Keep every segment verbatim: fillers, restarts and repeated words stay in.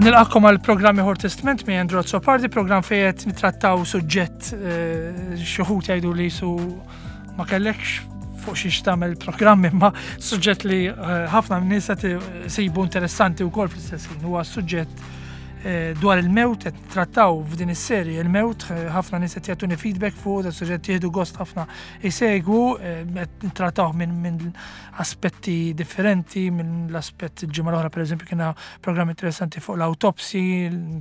Nilqagħkom għal programm ieħor Testment minn Andrew Azzopardi, programm fejn qed nitrattaw suġġett eh, xi wħud jgħidu li su ma kellekx fuq xiex tagħmel programm, imma suġġett li eh, ħafna nies qed isibu interessanti wkoll fl-istess ħin. Huwa suġġett eh, dwar il-mewt. Qed trattaw f'din is-serje il-mewt, ħafna nies qed jagħtuni feedback fuq da suġġett, jieħdu gost ħafna jsegwu, qed nittrattaw minn min aspetti differenti, minn l-aspett, il-ġimgħa l-oħra pereżempju kiena programm interessanti fuq l-autopsy,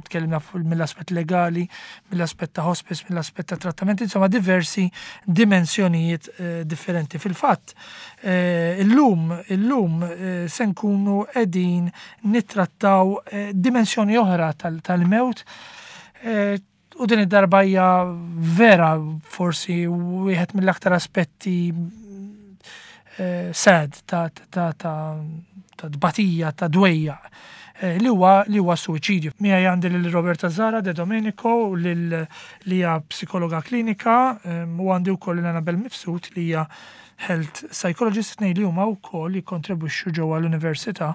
tkellimna mill-aspett legali, mill-aspett ta' hospice, mill-aspett ta' trattamenti, insomma diversi dimensjonijiet eh, differenti. Fil-fatt, eh, illum, illum eh, se nkunu qegħdin nittrattaw dimensjoni oħra tal-mewt, u din id-darba hija vera forsi wieħed mill-aktar aspetti Eh, sad ta' ta' ta' ta' tbatija, ta' dwejja eh, li huwa li huwa suwiċidju. Miegħi għandi lil Roberta Zara De Domenico lil li hija psikologa klinika eh, u għandi wkoll lil Annabel Mifsud li hija health psychologist, tnejn li huma wkoll jikkontribwixxu ġewwa l-università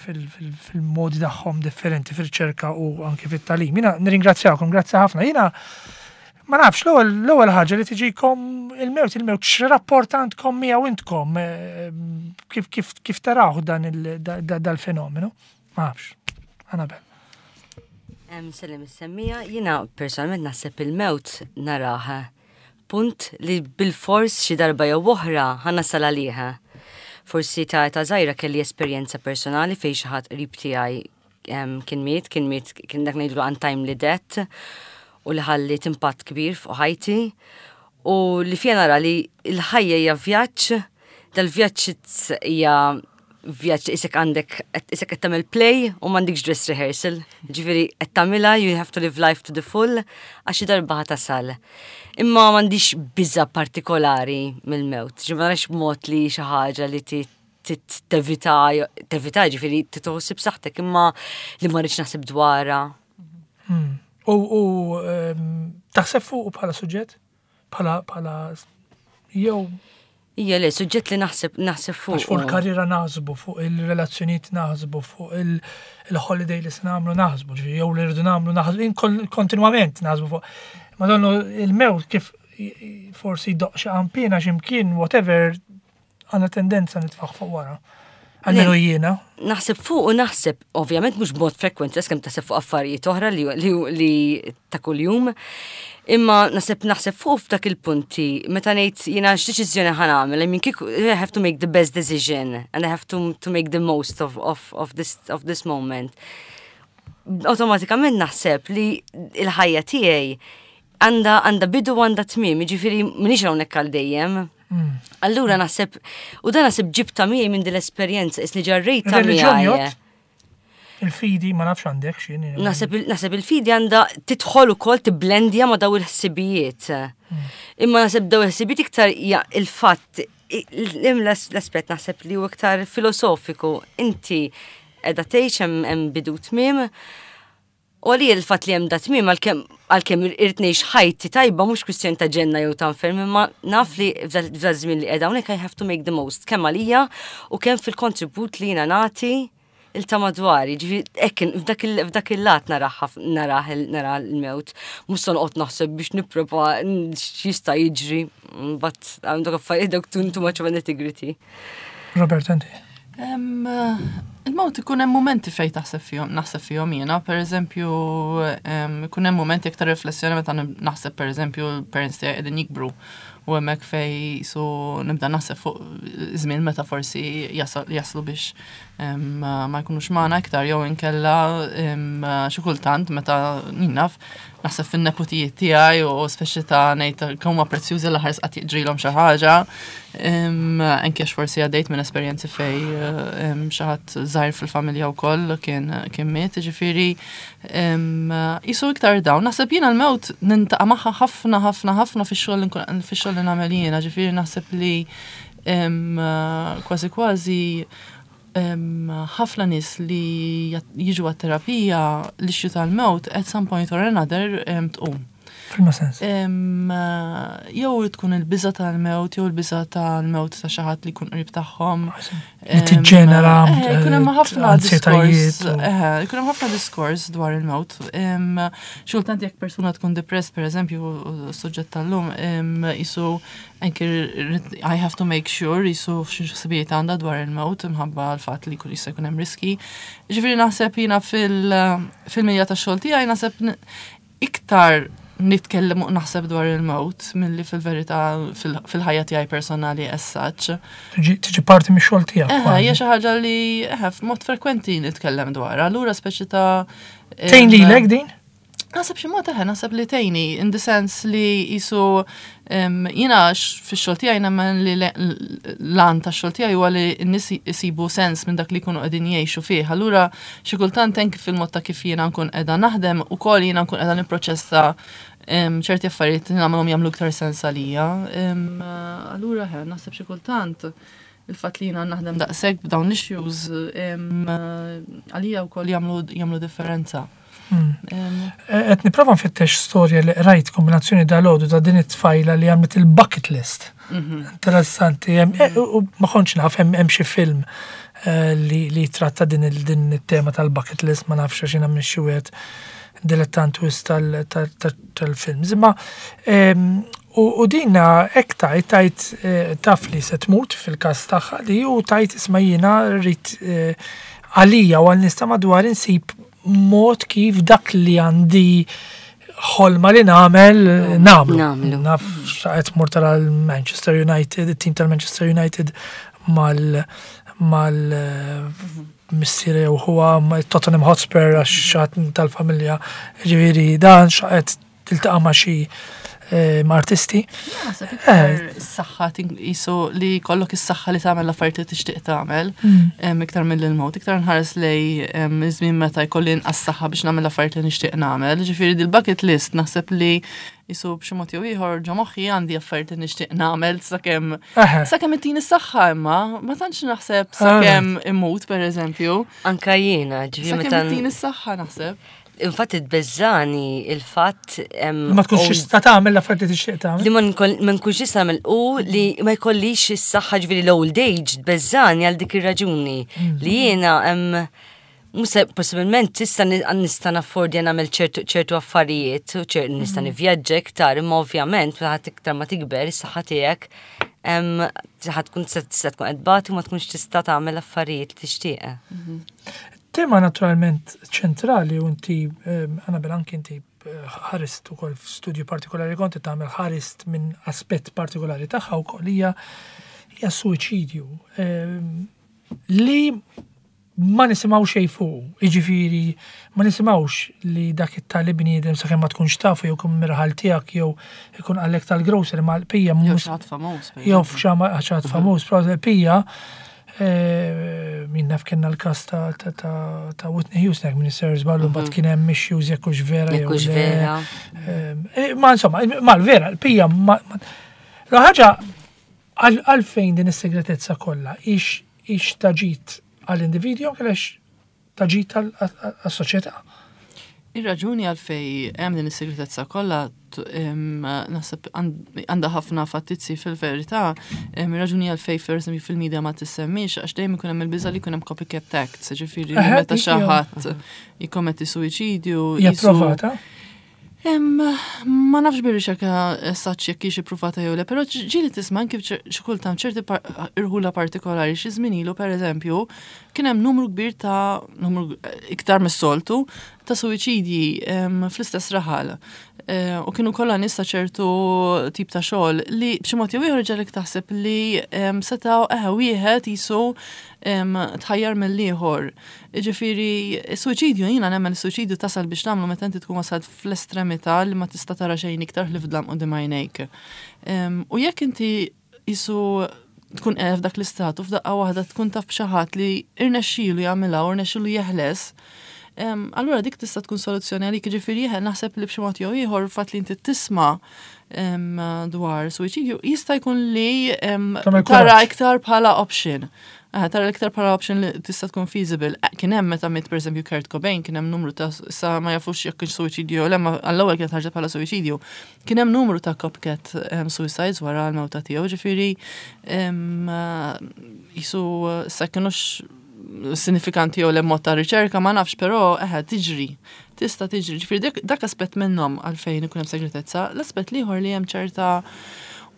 fil-modi tagħhom differenti fil-riċerka u anke fit-tagħlim. Jiena nirringrazzjakom, grazzi ħafna. Jiena ma nafx, l-ewwel ħaġa li tiġikom il-mewt, il-mewt x'rapport għandkom miegħu intkom, eh, kif kif kif taraw dan dal-fenomenu? Ma nafx. Annabel. Sellem is-semmija, jiena personalment naħseb il-mewt narah punt li bil-fors xi darba jew oħra ħa nasal għaliha. Forsi ta' ta' żgħira kelli esperjenza personali fejn xi ħadd qrib tiegħi kien miet, kien miet, kien dak ngħidlu untimely death u li ħalliet impatt kbir fuq ħajti u li fija nara li l-ħajja hija vjaġġ, dal-vjaġġ hija vjaġġ isek għandek, isek qed tagħmel play u m'għandekx dress rehearsal. Ġifieri qed tagħmilha, you have to live life to the full għax xi darba ħa tasal. Imma m'għandix biża partikolari mill-mewt. Ġifieri ma narax mod li xi ħaġa li tevita, tevita ġifieri titħossib saħtek, imma li ma rridx naħseb dwarha. Hmm. U u, ehm, taħseb fuq bħala suġġett? Bħala bħala jew Ija le, suġġett li naħseb naħseb fuq. Għax fuq il-karriera naħsbu, fuq il-relazzjonijiet naħsbu, fuq il- il-holiday li se nagħmlu naħsbu, ġifieri jew li rridu nagħmlu naħsbu, in kol- kontinwament naħsbu fuq. Madonna, il-mewt kif forsi doq xi qampina x'imkien, whatever, għandna tendenza nitfaħ fuq wara. Almenu jiena. Naħseb fuq u naħseb, ovvjament mhux b'mod frekwenti, kemm taħseb fuq affarijiet oħra li, li, li ta' kuljum. Imma naħseb naħseb fuq f'dak il-punti, meta ngħid jiena x'deċiżjoni ħa nagħmel, I mean, kieku I have to make the best decision and I have to, to make the most of, of, of, this, of this moment. Automatikament naħseb li il-ħajja tiegħi għandha għandha bidu u għandha tmiem, jiġifieri m'iniex hawnhekk għal dejjem. Allura naħseb, u dan naħseb ġibta miegħi minn din l-esperjenza, isni ġarrejta Reliġjon miegħi. jgħodd? Il-fidi ma nafx għandek x'inhi. Naħseb il- naħseb il-fidi għandha tidħol ukoll tibblendja ma' daw il-ħsibijiet. Imma naħseb daw il-ħsibijiet iktar hija il-fatt l-aspett naħseb li huwa iktar filosofiku. Inti qiegħda tgħix, hemm hemm bidu tmiem. U għalija il-fatt li hemm da tmiem, għalkemm għalkemm irrid ngħix ħajti tajba, mhux kwistjoni ta' ġenna jew ta' infern, imma naf li f'da żmien li qiegħda hawnhekk I have to make the most kemm għalija u kemm fil-kontribut li jiena nagħti il ta' madwari, ġifieri hekk f'dak il- f'dak il-lat narah narah nara l-mewt, mhux se noqgħod naħseb biex nipprova x'jista' jiġri, but għandek affarijiet dawk too too much of a nitty-gritty. Robert, inti. Em, Il-mewt ikun hemm momenti fejn taħseb fihom, naħseb fihom jiena, per eżempju, em, ikun hemm momenti iktar riflessjoni meta naħseb, per eżempju, l-parents tiegħi qegħdin jikbru u hemmhekk fej su nibda naħseb fuq żmien meta forsi jasal- jaslu biex em, ma jkunux magħna iktar, jew inkella em, xi kultant meta naf naħseb fin-neputijiet tiegħi u speċi ta' ngħid kemm huma prezzjużi l-aħħar qatt jiġrilhom xi ħaġa. Em, Anke għax forsi għaddejt minn esperjenzi fej em, xi ħadd żgħir fil-familja wkoll kien kien miet, ġifieri em, jisu iktar dawn. Naħseb jiena l-mewt niltaqa' magħha ħafna ħafna ħafna fix-xogħol li nkun- fix-xogħol li nagħmel jiena, ġifieri naħseb li em, kważi kważi em, ħafna nies li jat- jiġu għat-terapija, l-issue tal-mewt at some point or another em, tqum. F'liema sens? Em, Jew tkun il-biża tal-mewt, jew il-biża tal-mewt ta' xi ħadd li jkun qrib tagħhom. Li tiġġenera Eh, Jkun hemm ħafna ansjetajiet diskors. u- eh, Jkun hemm ħafna diskors dwar il-mewt. Em, Xi kultant jekk persuna tkun depressed, per eżempju, suġġett tal-lum, em, jisu anke rrid- I have to make sure jisu xi għandha dwar il-mewt imħabba l-fatt li jkun jista' jkun hemm riski. Ġifieri naħseb jiena fil- fil-milja tax-xogħol tiegħi naħseb n- iktar nitkellem u naħseb dwar il-mewt milli fil-verità fil- fil-ħajja tiegħi personali as such. Tiġi tiġi parti mix-xogħol tiegħek. Eħe, kważi. hija xi ħaġa li eħe f'mod frekwenti nitkellem dwar. Allura speċi ta' Tgħin lilek din? Naħseb xi mod eħe, naħseb li tgħinni, in the sense li jisu em, jiena x- fix-xogħol tiegħi nemmen li le- l-għan tax-xogħol tiegħi huwa li n-nies isibu sens minn dak li jkunu qegħdin jgħixu fih. Allura xi kultant anki fil-mod ta' kif jiena nkun qiegħda naħdem ukoll jiena nkun qiegħda nipproċessa em, ċerti affarijiet li nagħmilhom jagħmlu iktar sens għalija. Em, Allura eħe, naħseb xi kultant il-fatt li jiena naħdem daqshekk b'dawn l-issues em, għalija wkoll jagħmlu jagħmlu differenza. Hmm. Em, Qed nipprova nfittex storja li rajt kombinazzjoni dal-għodu ta' din it-tfajla li għamlet il-bucket list. mhm. Interessanti, hemm- eh, u u ma kontx naf hemm hemm xi film eh, li li tratta din il- din it-tema tal-bucket list, ma nafx għax jiena minn xi wieħed dilettant wisq tal- tal- tal- tal-films. Imma em, u u dina hekk tajt tajt eh, taf li se tmut fil-każ tagħha li u tajt isma' jiena rrid eh, għalija u għal nista' madwar insib mod kif dak li għandi ħolma li nagħmel nagħmlu. Nagħmlu. Naf xaqet mur tara l-Manchester United, il-team tal-Manchester United mal mal eh, missieri u huwa ma' Tottenham Hotspur għax xat tal-familja, ġifieri dan xaqet tiltaqa' ma' xi eh, ma' artisti. Naħseb iktar is-saħħa tin- jisu li jkollok is-saħħa li tagħmel l-affarijiet li tixtieq tagħmel, em, iktar mill-mewt, iktar nħares lej em, iż-żmien meta jkolli inqas saħħa biex nagħmel l-affarijiet li nixtieq nagħmel. Ġifieri dil-bucket list naħseb li jisu b'xi mod jew ieħor ġo moħħi għandi affarijiet li nixtieq nagħmel sakemm Eħe. sakemm ittini s-saħħa imma ma tantx naħseb sakemm immut pereżempju. Anka jiena, ġifieri Sakemm meta. ittini s-saħħa naħseb. Infatti tbeżżani il-fatt em, Ma tkunx old- tista' tagħmel l-affarijiet li tixtieq tagħmel. li ma nkol- ma nkunx nista' nagħmel u li ma jkollix is-saħħa, ġifieri l-old age tbeżżani għal dik ir-raġuni li jiena hemm Musa, possibilment tista' ni- nista' naffordja nagħmel ċertu ċertu affarijiet u ċer nista' nivvjaġġa iktar, imma ovvjament ħadd iktar ma tikber is-saħħa tiegħek em, ħadd tkun tista' tista' tkun qed tbati u ma tkunx tista' tagħmel affarijiet li tixtieq. Tema naturalment ċentrali u inti, eh, Annabel, anki inti eh, ħarist ukoll f'studju partikolari konti tagħmel, ħarist minn aspett partikolari tagħha wkoll, hija hija suwiċidju eh, li ma nisimgħu xejn fuq, jiġifieri ma nisimgħux li dak it-tali bniedem, sakemm ma tkunx tafu jew kun mirħal tiegħek jew ikun għalek tal-grocery ma l-pija Jew mhux xi ħadd famuż. Per jew eżempju. xi ħadd famuż, però l-pija eh, min naf kellna l-kas ta' ta' ta' ta' Whitney Houston, jekk minn ser żballu, mbagħad kien hemm issues jekk hux vera jew Jekk hux le. vera. Eh, Ma insomma, ma l-vera, l-pija ma ma- La ħaġa għal- għalfejn din is-segretezza kollha ix ix taġit għall-individwu jew għaliex taġit għas-soċjetà? Ir-raġuni għalfej hemm din is-segretezza kollha t- em, naħseb għand- għandha ħafna fattizzi fil-verità. em, Ir-raġuni għalfej per eżempju fil-medja ma tissemmix għax dejjem ikun hemm il-biża li jkun hemm copycat acts, ġifieri li Eħe, meta dik xi hija. ħadd jikkommetti suwiċidju. Hija jisu- provata? Em, ma nafx bir-riċerka saċ jekk hix ippruvata jew le, però ġieli tisma' kif xi kultant ċerti par- irħula partikolari xi żmien ilu, pereżempju, kien hemm numru kbir ta' numru iktar mis-soltu ta' suwiċidji em, fl-istess raħal. Eh, U kienu kollha nies ta' ċertu tip ta' xogħol li b'xi mod jew ieħor ġalek taħseb li em, setgħu eħe wieħed jisu em, tħajjar mill-ieħor. Ġifieri, suwiċidju, jiena nemmen suwiċidju tasal biex tagħmlu meta inti tkun wasalt fl-estremità li ma tista' tara xejn iktar li f'dlam quddiem għajnejk. Em, U jekk inti jisu tkun qiegħed f'dak l-istat u f'daqqa waħda tkun taf b'xi ħadd li irnexxielu jagħmilha u rnexxielu jeħles, em, allura dik tista' tkun soluzzjoni għalik. Ġifieri jeħel naħseb li b'xi mod jew ieħor fatt li inti tisma' em, dwar suwiċidju jista' jkun li em, Tagħmel tara kuraġġ. iktar bħala option. Eh, tara l-iktar bħala option li tista' tkun feasible. Eh, Kien hemm meta miet, pereżempju, Kurt Cobain, kien hemm numru ta', sa ma jafux jekk kienx suwiċidju jew le, ma għall-ewwel kienet ħarġet bħala suwiċidju. Kien hemm numru ta' copycat um, suicides wara l-mewta tiegħu, ġifieri um, jisu sa kienux sinifikanti jew le mod ta' riċerka ma nafx, però eħe tiġri. Tista' tiġri. Ġifieri dak, dak aspett minnhom għalfejn ikun hemm segretezza. L-aspett l-ieħor li hemm ċerta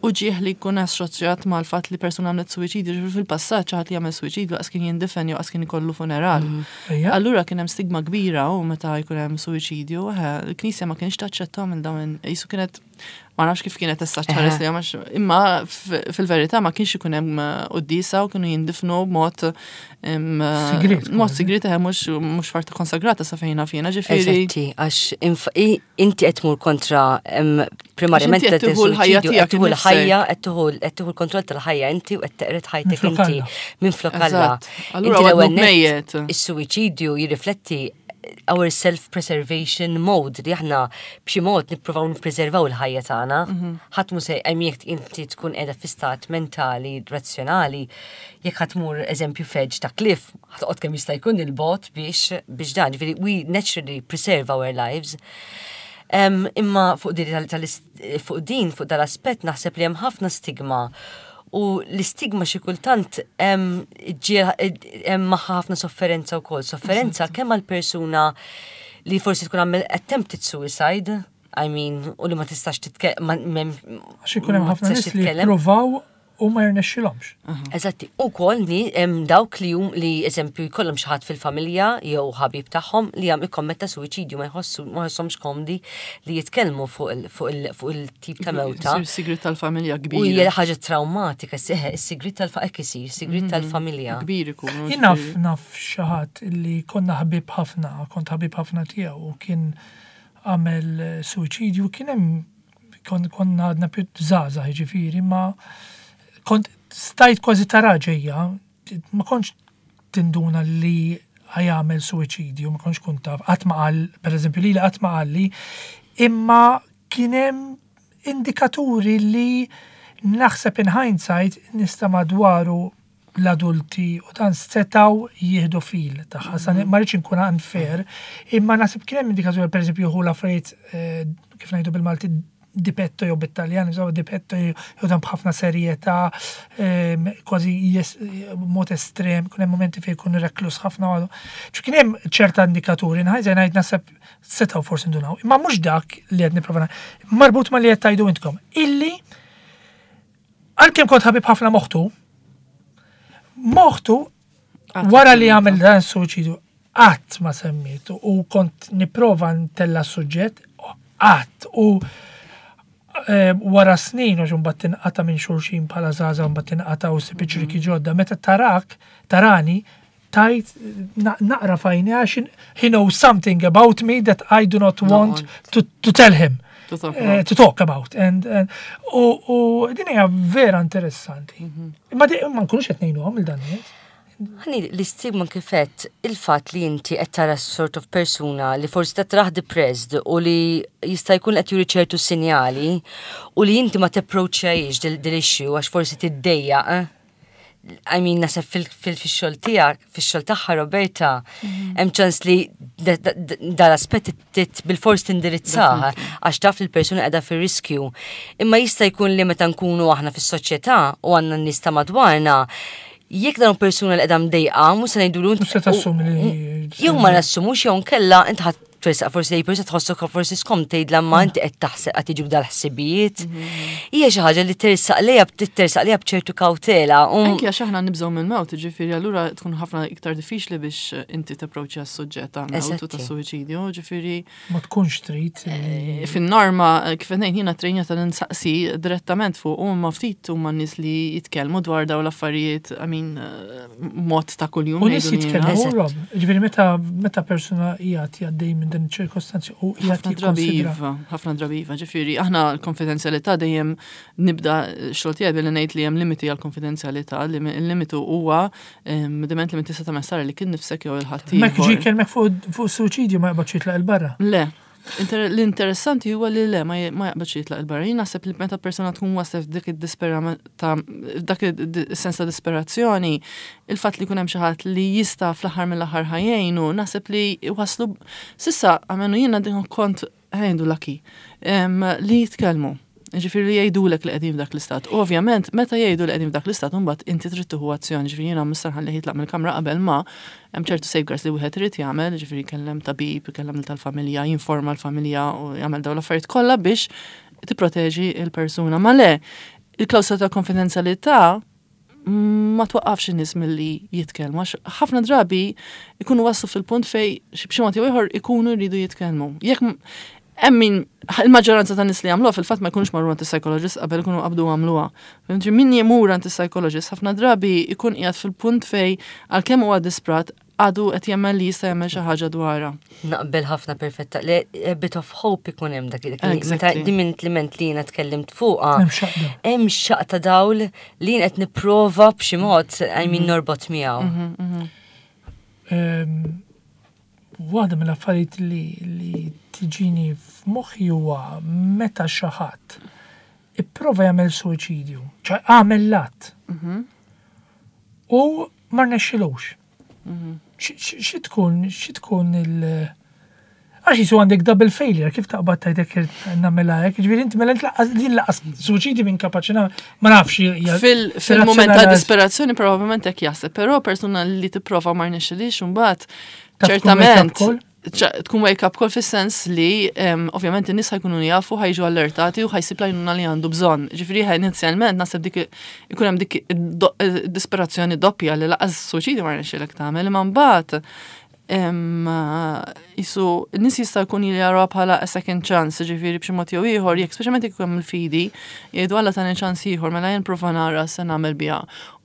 uġieħ li jkun assoċjat mal-fatt li persuna għamlet suwiċidju, ġifieri fil-passat xi ħadd li jagħmel suwiċidju qas kien jindifen jew qas kien ikollu funeral. Ejja. Allura kien hemm stigma kbira u meta jkun hemm suwiċidju, eħe, il-Knisja ma kienx taċċettahom il dawn, jisu kienet, ma nafx kif kienet issa ċares li għamax, imma f- fil-verità ma kienx ikun hemm eh, quddiesa u kienu jindifnu b'mod em, Sigriet, mod kważi. sigriet, eħe, mhux mhux farta konsagrata sa fejn naf jiena, ġifieri. Eżatti, għax inf- i- inti qed tmur kontra em, primarjament Għax inti qed tieħu l-ħajja suwiċidju, tiegħek qed tieħu innifsek. l-ħajja, qed tieħu qed tieħu l-kontroll tal-ħajja inti u qed teqred ħajtek Minflok inti Alla. minflok Alla. Eżatt. Allura Inti l-ewwel għadnu nett, mejjet. Is-suwiċidju jirrifletti our self-preservation mode, li aħna b'xi mod nippruvaw nippreservaw il-ħajja tagħna. Ħadd mhu se hemm, jekk inti tkun qiegħda fi stat mentali razzjonali, jekk ħa tmur, eżempju, f'edge ta' cliff, ħa toqgħod kemm jista' jkun il-bogħod biex biex dan, ġifieri we naturally preserve our lives. Um, imma fuq din tal- tal- fuq din fuq dal-aspett naħseb li hemm ħafna stigma u l-istigma xi kultant hemm hemm magħha ħafna sofferenza wkoll, sofferenza kemm għal persuna li forsi tkun għamel attempted suicide, I mean, u li ma tistax titkellem. Għax ikun hemm ħafna nies li jippruvaw u ma jirnexxilhomx. Eżatti, u kol ni hemm dawk li jum li, eżempju, jkollhom xi ħadd fil-familja jew ħabib tagħhom li jam ikkommetta suwiċidju, ma jħossu ma jħossomx komdi li jitkellmu fuq il- fuq il- fuq il-tip ta' mewta. Isir sigrit tal-familja U kbir. hija ħaġa traumatika, seħe, is-sigrit tal-fa hekk isir, sigrit tal-familja. Kbir ikun. Jien naf naf xi ħadd li konna ħbib ħafna, kont ħabib ħafna tiegħu u kien għamel eh, suwiċidju, kien hemm kon, konna għadna più żgħażagħ, ġifieri, ma kont stajt kważi tara ġejja, ma kontx tinduna li ħa jagħmel suwiċidju, ma kontx kont taf, qatt ma qal, per eżempju, li qatt ma qalli, imma kien hemm indikaturi li naħseb in hindsight nista' madwaru l-adulti u dan setaw jieħdu fil tagħha. Sa ma rridx inkun unfair, imma naħseb kien hemm indikaturi, per eżempju, hu l-affarijiet, eh, kif ngħidu bil-Malti di petto jew bit-Taljan, insomma, di petto jew dan b'ħafna serjetà, ehm, kważi jes- mod estrem, kien hemm momenti fejn jkun reklus ħafna għadu. ċu kien hemm ċerta indikaturi, nħajża ngħid naħseb setgħu forsi ndunaw. Imma mhux dak li qed nipprova marbut ma li qed tgħidu intkom. Illi għalkemm kont ħabib ħafna m'oħtu, m'oħtu wara li għamel dan suwiċidju qatt ma semmietu u kont nipprova ntella' suġġett qatt u eh, wara snin u mbagħad tinqata' minn xulxin bħala żgħażagħ, mbagħad tinqata' u ssib ċriki ġodda, meta tarak tarani tajt na- naqra fajni għax he knows something about me that I do not want to, to tell him To talk eh, about. to talk about. And, and u, u din hija vera interessanti. Imma di- ma nkunux qed ngħinuhom il dan nies. Ħani, l-istigma kifet il-fat li inti qed tara sort of persuna li forsi qed taraħ depressed u li jista' jkun qed juri ċertu sinjali u li inti ma tapproachjajx dil-issue għax forsi tiddejjaq. Eh? I mean, naħseb fil-xogħol tiegħek, fix-xogħol tagħha Roberta, hemm ċans li dal-aspett bil-fors tindirizzah għax taf li l-persuna qiegħda fir-riskju. Imma jista' jkun li meta nkunu aħna fis-soċjetà u għandna n-nies ta' madwarna, jekk dan persuna li qiegħda mdejqa, mhux se ngħidulu Mhux se tassumi li jew ma nassumux jew nkella int ħadd tersaq forsi lej persuna tħossok forsi skom tgħidla ma inti qed taħseb qed jiġuk dal-ħsibijiet. Hija xi ħaġa li tersaq lejha, tersaq lejha b'ċertu kawtela. u- Anki għax aħna nibżgħu mill-mewt, ġifieri allura tkun ħafna iktar diffiċli biex inti tapproċċja s-suġġett ta' mewt u ta' Eżatti. suwiċidju, ġifieri Ma tkunx trid li fin-norma, kif qed ngħid jiena trejnja tal-insaqsi direttament fuq u ma ftit huma n-nies li jitkellmu dwar dawn l-affarijiet, I mean, eh, mod ta' kuljum. U nies ngħidu jiena. jitkellmu, Eżatt. Rob. Ġifieri meta meta persuna qiegħed jgħaddej minn din iċ-ċirkostanzi u qiegħed ħafna drabi jikkonsidra. iva, ħafna drabi iva, ġifieri aħna l-konfidenzjalità dejjem nibda xogħol tiegħi billi ngħid li hemm limiti għal konfidenzjalità, li il-limitu huwa em, diment li minn tista' tagħmel sara li kien nifsek jew il-ħadd Mek ġi ieħor. kelmek fuq fuq suwiċidju ma jaqbadx jitlaq il-barra. Le, Inter- L-interessanti huwa li le ma ma jaqbadx jitlaq il-barra. Jien naħseb li meta persuna tkun waslet f'dik id-disperament ta' dak id-sens ta' disperazzjoni, il-fatt li jkun hemm xi ħadd li jista' fl-aħħar mill-aħħar ħa jgħinu, naħseb li waslu s'issa għamenu jiena din kont ħa ngħidu lucky em, li jitkellmu. Ġifieri li jgħidulek li qegħdin f'dak l-istat. U ovvjament, meta jgħidu li qegħdin f'dak l-istat, imbagħad inti trid tieħu azzjoni. Ġifieri jiena mister ħalli jitlaq mill-kamra qabel ma hemm ċertu safeguards li wieħed irid jagħmel, ġifieri jkellem tabib, ikellem tal-familja, jinforma l-familja u jagħmel dawn l-affarijiet kollha biex tipproteġi il-persuna. Ma le, il-klawsola ta' konfidenzjalità ma twaqqafx in-nies milli jitkellmu għax ħafna drabi ikunu waslu fil-punt fej b'xi mod jew ieħor ikunu jridu jitkellmu. Jekk m- hemm min il-maġġoranza tan nies li jagħmluha fil-fatt ma jkunux marru għand is-psychologist qabel ikunu qabdu għamluha. Mentri min jemur għand is-psychologist ħafna drabi ikun qiegħed fil-punt fej għalkemm huwa disprat għadu qed jemmen li jista' jagħmel xi ħaġa dwarha. Naqbel ħafna perfetta. Le, a bit of hope ikun hemm dak dak li- meta Exactly. din minn liment li jiena tkellimt fuqha. Hemm xaqda. Hemm xaqta dawl li jien qed nipprova b'xi mod I mean norbot miegħu. Ehm, Waħda mill-affarijiet li, li tiġini f'moħħi huwa meta xi ħadd ipprova jagħmel suwiċidju, ċa għamel l-att. U ma rnexxilux. Xi xi tkun xi tkun il- Għax jisu għandek double failure, kif taqbad tajtek nagħmilha hekk, ġifieri inti mela inti din lanqas suwiċidju minn kapaċi nagħmel, ma nafx hija- Fil- Fil-moment ta' razzjonali- disperazzjoni probabbilment hekk jaħseb, però persuna li tipprova ma rnexxilix imbagħad Taf tkun ċertament wake-up call? ċa- tkun wake up call fis-sens li em, ovvjament in-nies ħa jkunu jafu ħa jiġu allertati u ħa jsib l-għajnuna li għandu bżonn. Ġifieri ħa inizjalment naħseb dik ikun hemm dik id-do- disperazzjoni doppja li lanqas suwiċidju ma rnexxilek tagħmel, imma mbagħad em, jisu n-nies jista' jkun jaraw bħala a second chance, ġifieri b'xi mod jew ieħor, jekk speċjalment jekk hemm il-fidi, jgħidu Alla tani ċans ieħor mela jien prova nara se nagħmel biha.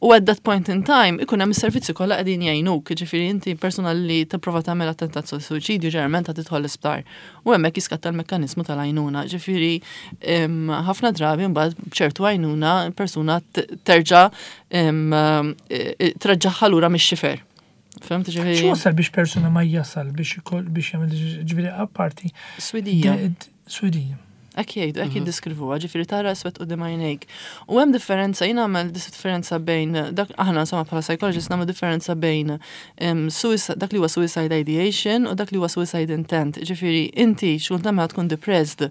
U at that point in time ikun hemm is-servizzi kollha qegħdin jgħinuk, ġifieri inti persuna li tipprova tagħmel attentat suwiċidju ġeneralment ta' tidħol l-isptar. U hemmhekk jiskatta l-mekkaniżmu tal-għajnuna. Ġifieri em, ħafna drabi mbagħad b'ċertu għajnuna persuna t- terġa' em, eh, treġġagħha lura mix-xifer. Fhimt ġifieri? X'wasal biex persuna ma jasal biex ikoll biex jagħmel ġifieri apparti. Swidija. de- d- Swidija. Hekk jgħidu, hekk jiddeskrivuha, ġifieri tara iswed quddiem għajnejk. U hemm differenza, jien nagħmel differenza bejn, dak aħna insomma bħala psychologist nagħmlu differenza bejn em, suicide, dak li huwa suicide ideation u dak li huwa suicide intent. Ġifieri inti xkultant meta tkun depressed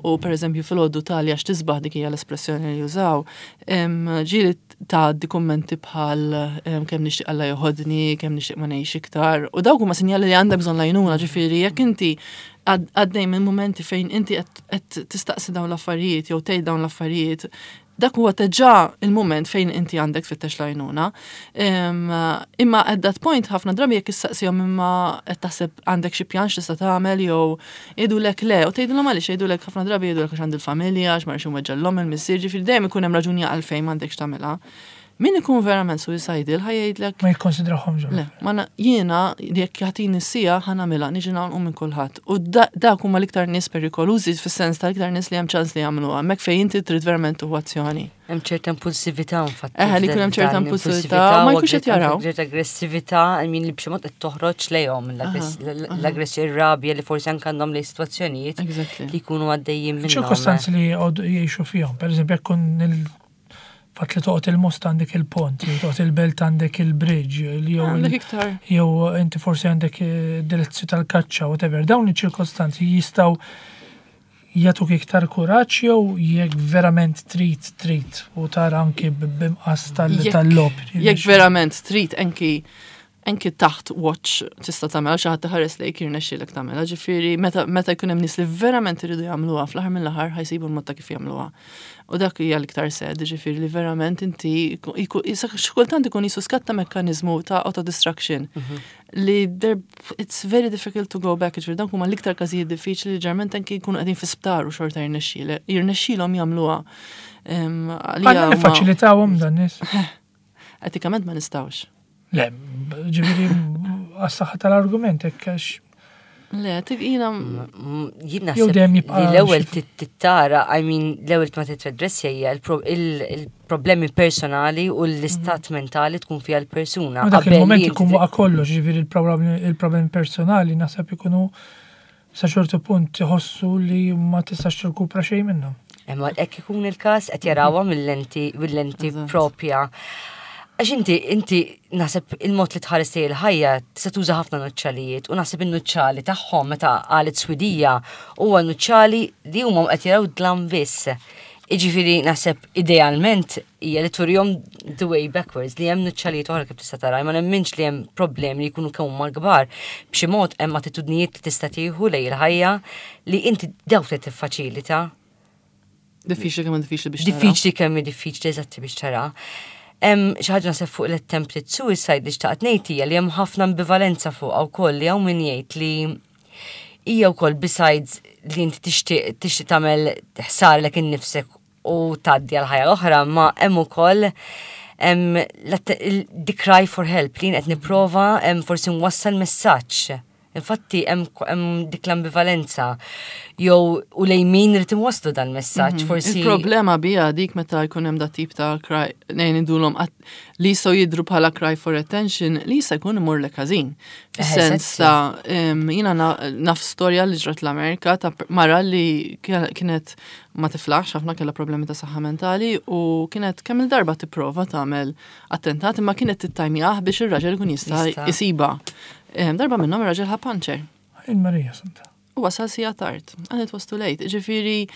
u per eżempju filgħodu tali għax tisbaħ dik hija l-espressjoni li jużaw, em, ġieli tgħaddi kummenti bħal em, kemm nixtieq Alla joħodni, kemm nixtieq ma ngħix iktar. U dawk huma sinjali li għandek bżonn l-għajnuna, ġifieri jekk inti għad- għaddej minn momenti fejn inti qed qed tistaqsi dawn l-affarijiet jew tgħid dawn l-affarijiet, dak huwa diġà il-moment fejn inti għandek tfittex l-għajnuna. Em, Imma at that point ħafna drabi jekk issaqsihom imma qed taħseb għandek xi pjan x'tista' tagħmel jew jgħidulek le, u tgħidilhom għaliex jgħidulek ħafna drabi jgħidulek għax għandi l-familja, għax ma rridx inweġġa' l-omm il-missier, ġifieri dejjem ikun hemm raġuni għalfejn m'għandekx tagħmilha. Min ikun verament suicidal ħa jgħidlek Ma jikkonsidrahom ġol. Le, ma na- jiena jekk jagħtini s-sija ħa nagħmilha niġi nagħlqu minn kulħadd. U da- dak huma l-iktar nies perikolużi fis-sens tal-iktar nies li hemm ċans li jagħmluha, hemmhekk fejn inti trid verament tieħu azzjoni. Hemm ċerta impulsività infatti. Eħe, li jkun hemm ċerta impulsività, ma jkunx qed jaraw. Ċerta aggressività, I mean li b'xi mod qed toħroġ lejhom l-aggressjoni ir-rabja li forsi anke għandhom lejn sitwazzjonijiet Exactly. li jkunu għaddejjin minnhom. ċirkostanzi li għodu jgħixu fihom. Per eżempju, jekk kun il-fatt li toqgħod il-Mosta għandek il-pont, jew toqgħod il-Belt għandek il-bridge, jew il- Għandek iktar. jew inti forsi għandek eh, direzzju tal-kaċċa, whatever. Dawn iċ-ċirkostanzi jistgħu jagħtuk iktar kuraġġ jew jekk verament trid trid u tara anki b'imqas tal- Jekk- tal-lob. Jekk verament trid anki anki taħt watch tista' tagħmel xi ħadd iħares lejk jirnexxielek tagħmilha. Ġifieri meta meta jkun hemm nies li verament iridu jagħmluha fl-aħħar mill-aħħar ħa jsibu l-mod ta' kif jagħmluha. U dak hija l-iktar sad, ġifieri li verament inti xi kultant ikun jisu skatta mekkaniżmu ta' autodestruction li there it's very difficult to go back, ġifieri dawk huma l-iktar każijiet diffiċli li ġeneralment anki jkunu qegħdin fi sptar u xorta jirnexxielek, jirnexxielhom jagħmluha. Em, għalija Għandna huma- nifaċilitawhom dan nies. Etikament ma nistgħux. Le, ġifieri għas-saħħa tal-argument hekk għax Le, tik jina Jien Jew naħseb dejjem li jibqa' l-ewwel xi- tittara, I mean, l-ewwel ma titredressja hija il-pro- il- il-problemi personali u l-istat mentali tkun fiha l-persuna. Ma dak Qabel il-moment li ikun inti waqa' kollox, ġifieri il-problemi il-problemi personali naħseb ikunu Sa ċertu punt iħossu li ma tistax tirkupra xejn minnhom. Imma hekk ikun il-każ, qed jarawha mill-lenti mill-lenti Eżatt. propja. Għax inti, inti naħseb il-mod li tħares lejn il-ħajja tista' tuża ħafna nuċċalijiet u naħseb in-nuċċali tagħhom meta qalet Swidija huwa nuċċali li huma qed jaraw dlam biss. Iġifieri naħseb idealment hija li turihom the way backwards, li hemm nuċċalijiet oħra kif tista' tara, ma nemminx li hemm problemi li jkunu kemm huma kbar. B'xi mod hemm attitudnijiet li tista' tieħu lejn il-ħajja li inti dawk li tiffaċilita. Diffiċli kemm diffiċli biex tara. Diffiċli kemm hi diffiċli eżatti biex tara. Hemm xi ħaġa naħseb fuq l-attempted suicide li xtaqt ngħid hija li hemm ħafna ambivalenza fuqha wkoll, li hawn min jgħid li hija wkoll, besides li inti tixtieq tixtieq tagħmel ħsar lek innifsek u tgħaddi għal ħajja l-oħra, ma hemm ukoll hemm l-att- il- the cry for help li jien qed nipprova hemm forsi nwassal messaġġ. Infatti hemm hemm dik l-ambivalenza jew u lejn min irid inwasslu dan messaġġ forsi. Il-problema bija dik meta jkun hemm dat tip ta' cry, nejn indulhom għat- li jistgħu jidru bħala cry for attention, li jista' jkun imur lek ħażin. Fis-sens ta' em, jiena na- naf storja li ġrat l-Amerika ta' mara li kienet ma tiflaħx ħafna, kellha problemi ta' saħħa mentali u kienet kemm il-darba tipprova tagħmel attentat, imma kienet tittajmjah biex ir-raġel ikun jista' Jista'. jisiba. Em, Darba minnhom ir-raġel ħa panċer. Il-Marija Santa. U wasal siegħa tard. And it was too late. Ġifieri,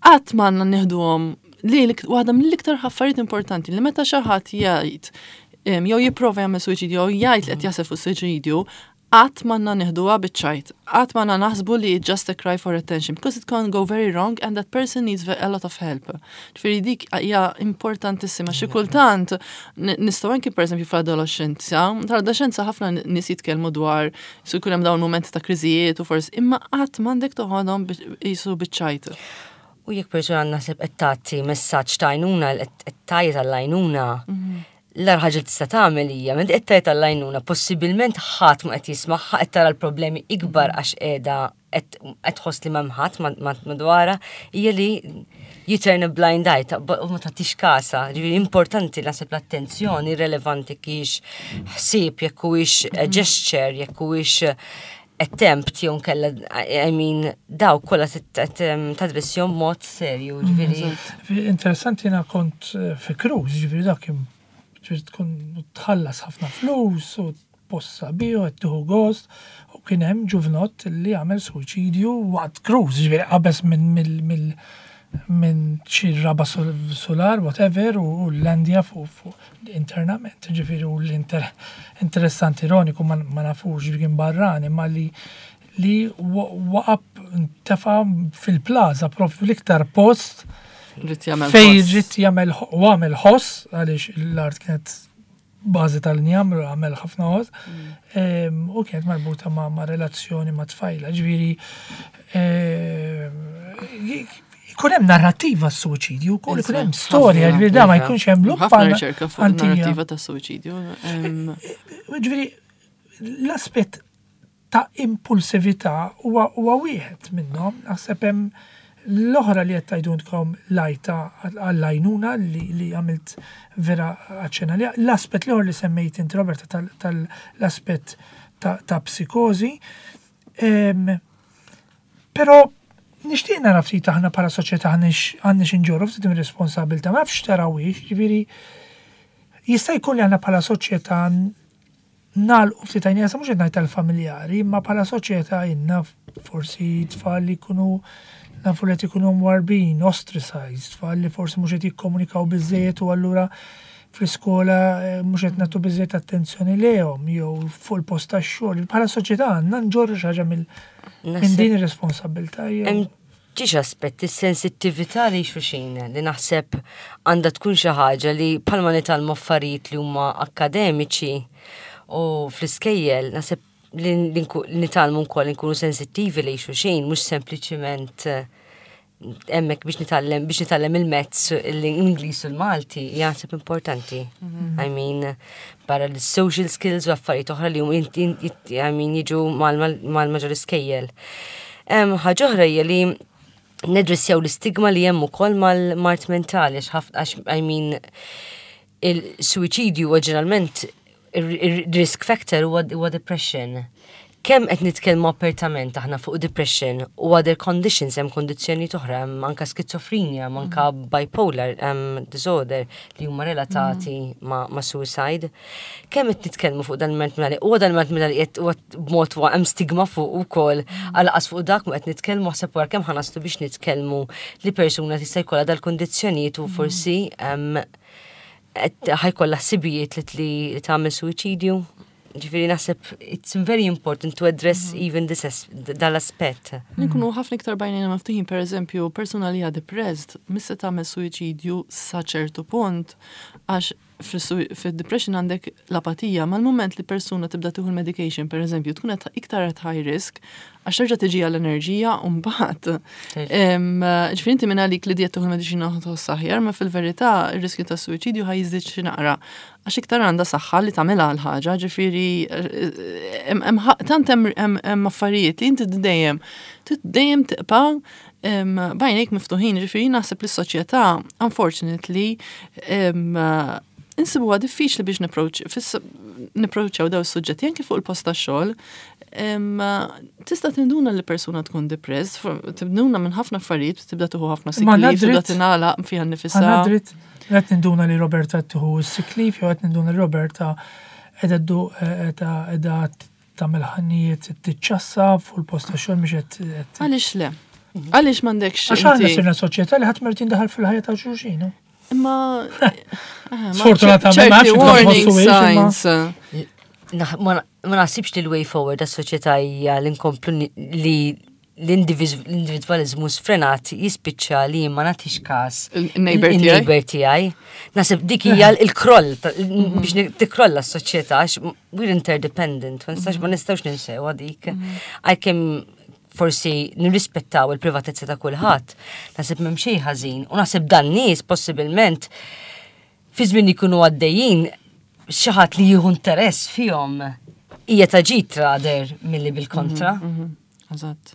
qatt m'għandna nieħduhom li l- waħda mill-iktar affarijiet importanti li meta xi ħadd jgħid em, jew jipprova jagħmel suwiċidju jew jgħid li qed jaħseb fuq suwiċidju, qatt m'għandna nieħduha biċ-ċajt. Qatt m'għandna naħsbu li it's just a cry for attention, because it can go very wrong and that person needs a lot of help. Ġifieri dik hija importantissima. Xi kultant n- nistgħu anki, pereżempju, fl-adolescenza, tal-adolescenza ħafna nies jitkellmu dwar su jkun hemm dawn momenti ta' kriżijiet u forsi, imma qatt m'għandek toħodhom qisu biċ-ċajt. U jekk persuna naħseb qed tagħti messaġġ ta' għajnuna, qed tgħajjat għall-għajnuna, l-agħar ħaġa li tista' tagħmel hija meta qed tgħajjat għall-għajnuna, possibilment ħadd ma qed jismagħha, qed tara l-problemi ikbar għax qiegħda qed tħoss li m'hemm ħadd madwarha, hija li you turn a blind eye ta' u ma tagħtix kasha. Ġifieri importanti naħseb l-attenzjoni relevanti kiex ħsieb, jekk huwiex gesture, jekk huwiex attempt jew nkella, I mean, daw kollha tadressjom mod serju, ġifieri. Interessanti, jiena kont eh, fi cruise, ġifieri dak kien ġifieri tkun tħallas ħafna flus u post sabiħ u qed tieħu gost, u kien hemm ġuvnott li għamel suwiċidju waqt cruise, ġifieri qabeż minn mill mill minn xi raba solar, whatever, u l-landja fuq fuq internament, ġifieri u l-inter interessanti, ironiku, ma ma nafux, ġifieri kien barrani, ma li li waqab tefa fil-plaza, propju l-iktar post Ried jagħmel fej ħoss. ried jagħmel u għamel ħoss, għaliex l-art kienet bażi tal-injam, għamel ħafna ħoss, em, u kienet marbuta ma', ma' relazzjoni ma' tfajla, ġifieri em, ikun hemm narrativa s-suwiċidju, wkoll ikun hemm storja, ġifieri da ma jkunx hemm luppa. Ħafna riċerka fuq antija. narrativa ta' suwiċidju. Em, Ġifieri l-aspett ta' impulsività huwa huwa wieħed minnhom, naħseb hemm l-oħra li qed tgħidulkom lajta għall-għajnuna li, li għamilt vera aċċenna li l-aspett l-ieħor li semmejt inti, Roberta, tal-aspett ta', ta' psikożi. Em, Però nixtieq nara ftit aħna bħala soċjetà għandniex għandniex inġorru ftit mir-responsabilità, ma nafx tarawhiex, ġifieri jista' jkun li għandna bħala soċjetà nagħlqu ftit għajnejna, sa mhux qed ngħid tal-familjari, imma bħala soċjetà inna forsi tfal li jkunu nafu li qed ikunu mwarbin, ostracized, tfal li forsi mhux qed jikkomunikaw biżejjed u allura fl-iskola eh, mhux qed nagħtu biżejjed attenzjoni lejhom jew fuq il-post tax-xogħol. Bħala soċjetà għandna nġorru xi ħaġa mill minn Naħseb- din ir-responsabilità jew. Hemm ġiex aspetti sensittività li xulxin li naħseb għandha tkun xi ħaġa li bħalma nitgħallmu affarijiet li huma akkademiċi u fl-iskejjel, naħseb li li nku- li nitgħallmu wkoll nkunu sensittivi li xulxin, mhux sempliċiment eh, hemmhekk biex nitgħallem biex nitgħallem il-mezz l-Ingliż u l-Malti, jaħseb importanti. I mean, barra l-social skills u affarijiet oħra li hum I mean, jiġu mal-maġġor iskejjel. Ħaġa oħra hija li nedressjaw l-istigma li hemm ukoll mal-mard mentali, għax ħafna, għax, I mean, il-suwiċidju huwa ġeneralment il-risk factor huwa huwa depression. Kemm qed nitkellmu apertament aħna fuq depression u other conditions, hemm kondizzjoni oħra, hemm anka skizofrenja, hemm anka bipolar um, disorder li huma relatati ma, ma suicide. Kemm qed nitkellmu fuq dan il-mard mentali, u dan il-mard mentali qed huwa b'mod huwa hemm stigma fuq ukoll għalqas fuq dak ma qed nitkellmu, ħseb wara kemm ħa naslu biex nitkellmu li persuna tista' jkollha dal-kundizzjonijiet u forsi em, qed ħa jkollha ħsibijiet li li li tagħmel suwiċidju. Ġifieri naħseb it's very important to address even this as- dal-aspett. Nkunu ħafna iktar b'għajnejna miftuħin, per eżempju, persuna li hija depressed, mhux se tagħmel suwiċidju sa ċertu punt, għax fil-depression għandek l-apatija, mal-moment li persuna tibda tieħu l-medication, per eżempju, tkun qed iktar at high risk, għax terġa' tiġi għall-enerġija u mbagħad. Em, Ġifieri inti minn għalik li diet tieħu l-mediċina tħoss aħjar, ma fil-verità ir-riskju ta' suwiċidju ħa jiżdied xi naqra. Għax iktar għandha saħħa li tagħmilha l-ħaġa, ġifieri em- em ħa- tant hemm hemm hemm affarijiet li inti dejjem dejjem tibqa' em, b'għajnejk miftuħin, ġifieri naħseb li s-soċjetà, unfortunately, em, insibuha diffiċli biex nipproċċjaw daw is-suġġetti anke fuq il-post tax-xogħol. Em, Tista' tinduna li persuna tkun depressed, tinduna minn ħafna affarijiet, tibda tieħu ħafna sick Ma għandna leave, tibda dritt- tingħalaq fiha nnifisha. Għandna dritt, qed ninduna li Roberta tieħu sick leave, jew qed ninduna li Roberta qiegħda qiegħda tagħmel ħannijiet tiċċassa fuq il-post ta' xogħol mhix qed qed- Għaliex le? Għaliex m'għandekx Għax aħna inti- sirna soċjetà li ħadd ma jrid jindaħal fil-ħajja ta' xulxin. no? Imma eh, ma Sfortunatament, ma ċerti nafx kif warning tħossu hiex, imma- signs. Naħ- Ma ma naħsibx li l-way forward għas-soċjetà hija li nkomplu ni- li l-individualizmu sfrenat jispiċċa li ma nagħtix każ Il-neighbor tiegħi? il-neighbor tiegħi. Naħseb dik hija l-kroll ta- biex ni- tikrolla s-soċjetà għax we're interdependent, ma nistax ma nistgħux ninsew dik. Għalkemm forsi nirrispettaw il-privatezza ta' kulħadd, naħseb m'hemm xejn ħażin u naħseb dan nies possibilment fi żmien jkunu għaddejjin xi ħadd li jieħu interess fihom hija ta' ġid rather milli bil-kontra. Eżatt.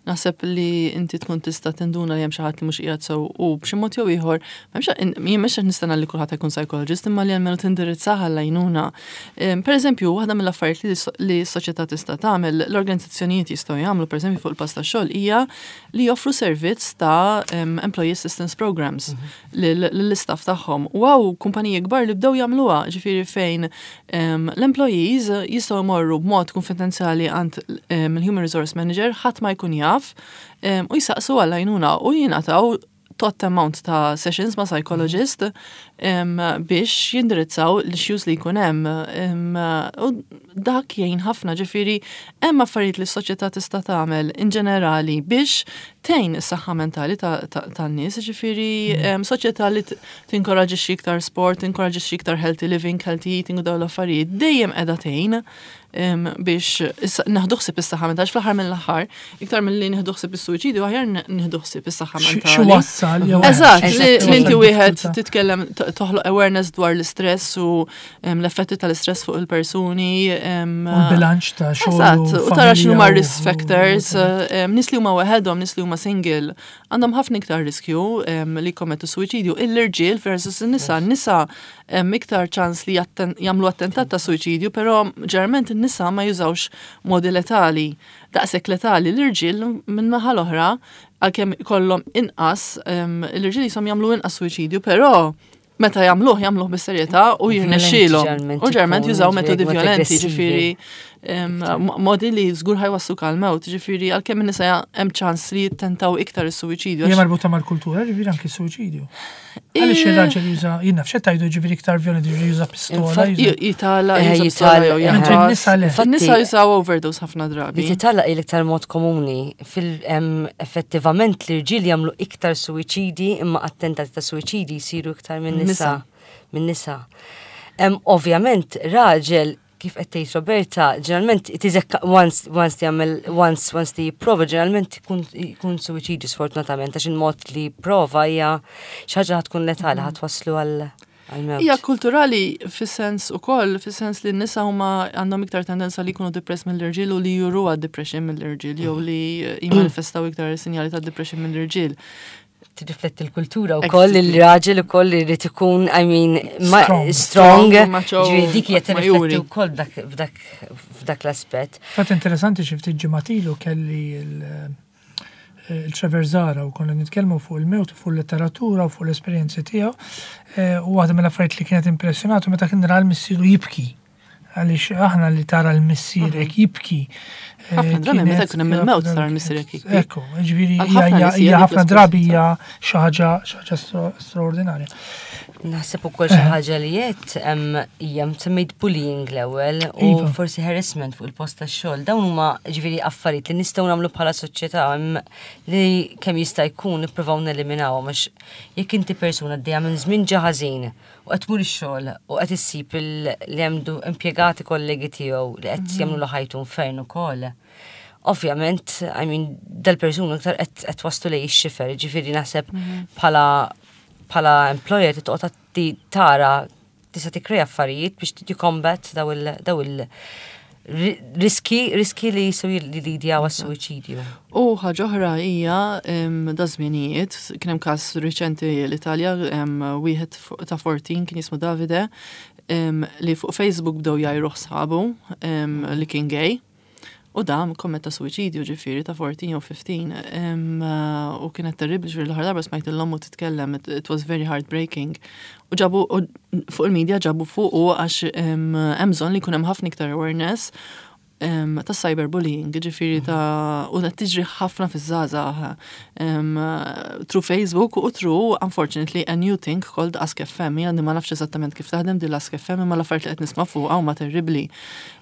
Naħseb li inti tkun tista' tinduna li hemm xi ħadd li mhux qiegħed sew u b'xi mod jew ieħor, m'hemmx jien mhux qed nistenna li kulħadd jkun psychologist imma li almenu tindirizzaha l-għajnuna. Em, Per eżempju, waħda mill-affarijiet li s- li s-soċjetà tista' tagħmel, l-organizzazzjonijiet jistgħu jagħmlu pereżempju fuq il-post tax-xogħol hija li joffru servizz ta' em, employee assistance programs lil- lill-istaff tagħhom. U hawn kumpaniji kbar li bdew jagħmluha, ġifieri fejn em, l-employees jistgħu jmorru b'mod konfidenzjali għand em, il-human resource manager, ħadd ma jkun jaf em, u jisaqsu għall-għajnuna u jingħataw tot amount ta' sessions ma' psychologist em, biex jindirizzaw l-issues li jkun hemm. Em, U dak jgħin ħafna, ġifieri hemm affarijiet li s-soċjetà tista' tagħmel in ġenerali biex tgħin is-saħħa mentali ta- ta- tan-nies, ġifieri em, soċjetà li t- tinkoraġixxi iktar sport, tinkoraġixxi iktar healthy living, healthy eating u dawn l-affarijiet dejjem qiegħda tgħin em, biex issa- nieħdu ħsieb is-saħħa mentali fl-aħħar mill-aħħar, iktar milli nieħdu ħsieb is-suwiċidju aħjar nieħdu ħsieb is-saħħa Xi mentali. wassal jew Eżatt, Eżatt. li li inti wieħed Diffikultà. titkellem t- toħloq awareness dwar l-istress u em, l-effetti tal-istress fuq il-persuni. em, U l-bilanċ ta' xogħol. Eżatt, u tara x'inhu ma familja u- risk factors, em, nies li huma waħedhom, nies li huma single, għandhom ħafna iktar riskju em, li jkommettu suwiċidju. Il-irġiel versus in-nisa, n-nisa em, iktar ċans li jatten- jagħmlu attentat ta' suwiċidju, però ġeneralment in-nisa ma jużawx modi letali. Daqshekk letali l-irġiel minn naħa l-oħra għalkemm ikollhom inqas, em, l-irġiel jisom jagħmlu inqas suwiċidju, però meta jagħmluh jagħmluh bis-serjetà u jirnexxielhom. ġeneralment U ġeneralment ikunu jużaw metodi ġifieri mod violenti, aggressivi. ġifieri em, modi li żgur ħa jwasslu għal-mewt, ġifieri għalkemm in-nisa hemm ċans li jittentaw iktar is-suwiċidju. Hija għax- marbuta mal-kultura, ġifieri anki suwiċidju. Għaliex ir-raġel juża, jien naf x'qed tgħidu ġifieri iktar violenti, ġifieri juża pistola. Infatti, juża- Jitala, Eh, juża jitala, pistola jew eh. Mentre jaħbas. n-nisa le. Infatti- N-nisa jużaw overdose ħafna drabi. Li titala l-iktar mod komuni fil em, effettivament l-irġiel jagħmlu iktar suwiċidi imma attentati ta' suwiċidi jsiru iktar minn nisa. Nisa. Minn nisa. Em, Ovvjament, raġel kif qed tgħid Roberta, ġeneralment it is a once once li jagħmel once once li jipprova ġeneralment ikun ikun suwiċidju sfortunatament għax il-mod li jipprova hija xi ħaġa ħa tkun letali ħa twasslu għal għal-mewt. Hija kulturali fis-sens ukoll, fis-sens li n-nisa huma għandhom iktar tendenza li jkunu depressed mill-irġiel u li juruha depression mill-irġiel jew li jimmanifestaw iktar sinjali ta' depression mill-irġiel. tirrifletti l-kultura wkoll il-raġel ukoll irid ikun, I mean, Strong. strong. Strong, macho, Ġifieri dik hija ma tirrifletti juri. wkoll f'dak- f'dak f'dak l-aspett. Fatt interessanti, xi ftit ġimgħat ilu kelli il- il-Trevor Zara u konna nitkellmu fuq il-mewt, fuq il-letteratura u fuq l-esperjenzi tiegħu. Eh, U waħda mill-affarijiet li kienet impressjonatu meta kien ra l-missieru jibki. Għaliex aħna li tara l-missierek jibki. eh, Ħafna drabi meta kienet- jkun hemm il-mewt tara l-missierek jibki. Ekku, ġifieri Għal hija ħafna hija- nies hija hija dik ħafna drabi l-esperjenza. hija xi ħaġa xi ħaġa stra- straordinarja. Naħseb ukoll xi ħaġa li qed hija semmejt bullying l-ewwel u Iva. forsi harassment fuq il-post tax-xogħol. Dawn huma ġifieri affarijiet li nistgħu nagħmlu bħala soċjetà em, li kemm jista' jkun nippruvaw neliminawhom, għax jekk inti persuna għaddejja minn żmien ġa ħażin u qed tmur ix-xogħol u qed issib il- li hemm impjegati kollegi tiegħu li qed jagħmlu ħajtu infern ukoll. Ovvjament, I mean, dal-persuna iktar qed qed waslu lejn ix-xifer, ġifieri naħseb bħala bħala employer titqgħod ti tara tista' tikkrea affarijiet biex tikkombat daw il daw il ri- riski riski li jistgħu jillidjaw għas-suwiċidju. U ħaġa oħra hija em, da żminijiet, kien hemm każ riċenti l-Italja, em, wieħed fu- ta' erbatax kien jismu Davide, em, li fuq Facebook bdew jgħajruh sħabu em, li kien gay. U dan kommetta suwiċidju, ġifieri ta' erbatax jew ħmistax. em, uh, U kienet terribli, ġifieri l-aħħar darba smajt l-ommu titkellem, it, it was very heartbreaking. U ġabu, u fuq il-media ġabu fuq u għax em, hemm bżonn li jkun hemm ħafna iktar awareness em, ta' cyberbullying, ġifieri ta' u qed tiġri ħafna fiż-żgħażagħ em, through Facebook u through, unfortunately, a new thing called Ask F M. Jien ma nafx eżattament kif taħdem din l-Ask F M, imma l-affarijiet li qed nisma' fuqha huma terribbli.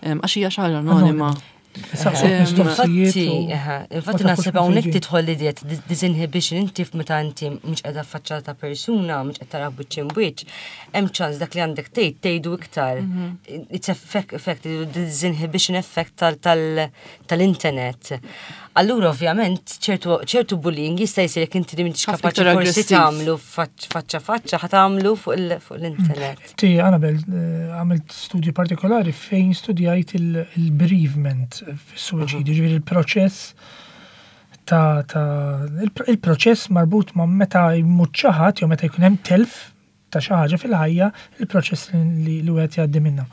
Em, Għax hija xi ħaġa anonima. Saqsuk Em, mistoqsijiet Infatti, u- eħe, ma infatti tafux naħseb minn hawnhekk fejn ġie. tidħol l-idea ta' disinhibition, inti meta inti mhux qiegħda faċċata ta' persuna, mhux qed tara wiċċ imb'wiċċ, hemm ċans dak li għandek tgħid tgħidu iktar. It's effect, effect disinhibition effect tal- tal- tal-internet. Allura ovvjament ċertu ċertu bullying jista' jsir jekk inti li m'intix Ħafna kapaċi iktar forsi aggressiv. tagħmlu faċ- faċċa faċċa ħa tagħmlu fuq il- fuq l-internet. Ti, Annabel, eh, għamilt studju partikolari fejn studjajt il- il-bereavement fis-suwiċidju, ġifieri il-proċess ta' ta' il- il-proċess marbut ma' meta jmut xi ħadd jew meta jkun hemm telf ta' xi ħaġa fil-ħajja, il-proċess li li wieħed jgħaddi minnha.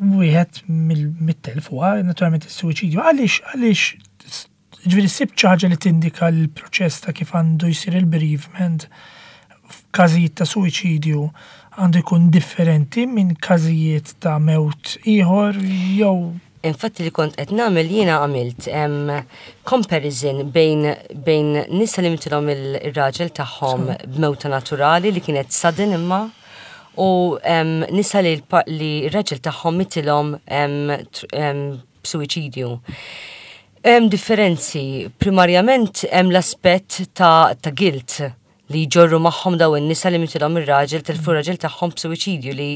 Wieħed mill- mit-telf huwa naturalment is-suwiċidju. Għaliex għaliex ġifieri sibt xi ħaġa li tindika l-proċess ta' kif għandu jsir il-bereavement f'każijiet ta' suwiċidju għandu jkun differenti minn każijiet ta' mewt ieħor jew? Infatti li kont qed nagħmel jiena, għamilt em, comparison bejn bejn nisa li mitilhom il-raġel tagħhom b'mewta naturali li kienet sudden imma u em, nisa li l-pa- li r-raġel tagħhom mitilhom em, tr- em, b'suwiċidju. Hemm differenzi, primarjament hemm l-aspett ta', ta' guilt li jġorru magħhom daw in-nisa li mitilhom ir-raġel, tilfu r-raġel tagħhom b'suwiċidju, li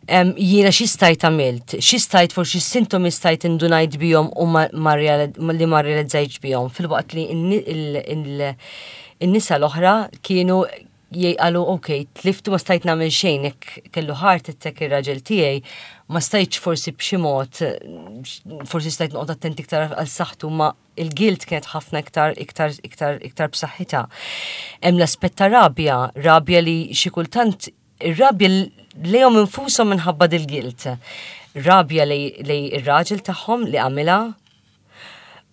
Em, jiena xi stajt għamilt, xi stajt forsi sintomi stajt indunajt bihom u ma, ma reali- li ma realizzajtx bihom, filwaqt li in- il- il- in-nisa l-oħra kienu jgħalu, "Ok, tliftu, ma stajt nagħmel xejn, jekk kellu heart attack ir-raġel tiegħi, ma stajtx forsi b'xi mod, forsi stajt noqgħod attenti iktar għal saħħtu," ma il-guilt kienet ħafna iktar iktar iktar iktar b'saħħitha. Hemm l-aspett ta' rabja, rabja li xi kultant ir-rabja lejhom infushom minħabba dil-guilt. Rabja lej lej ir-raġel tagħhom li għamilha.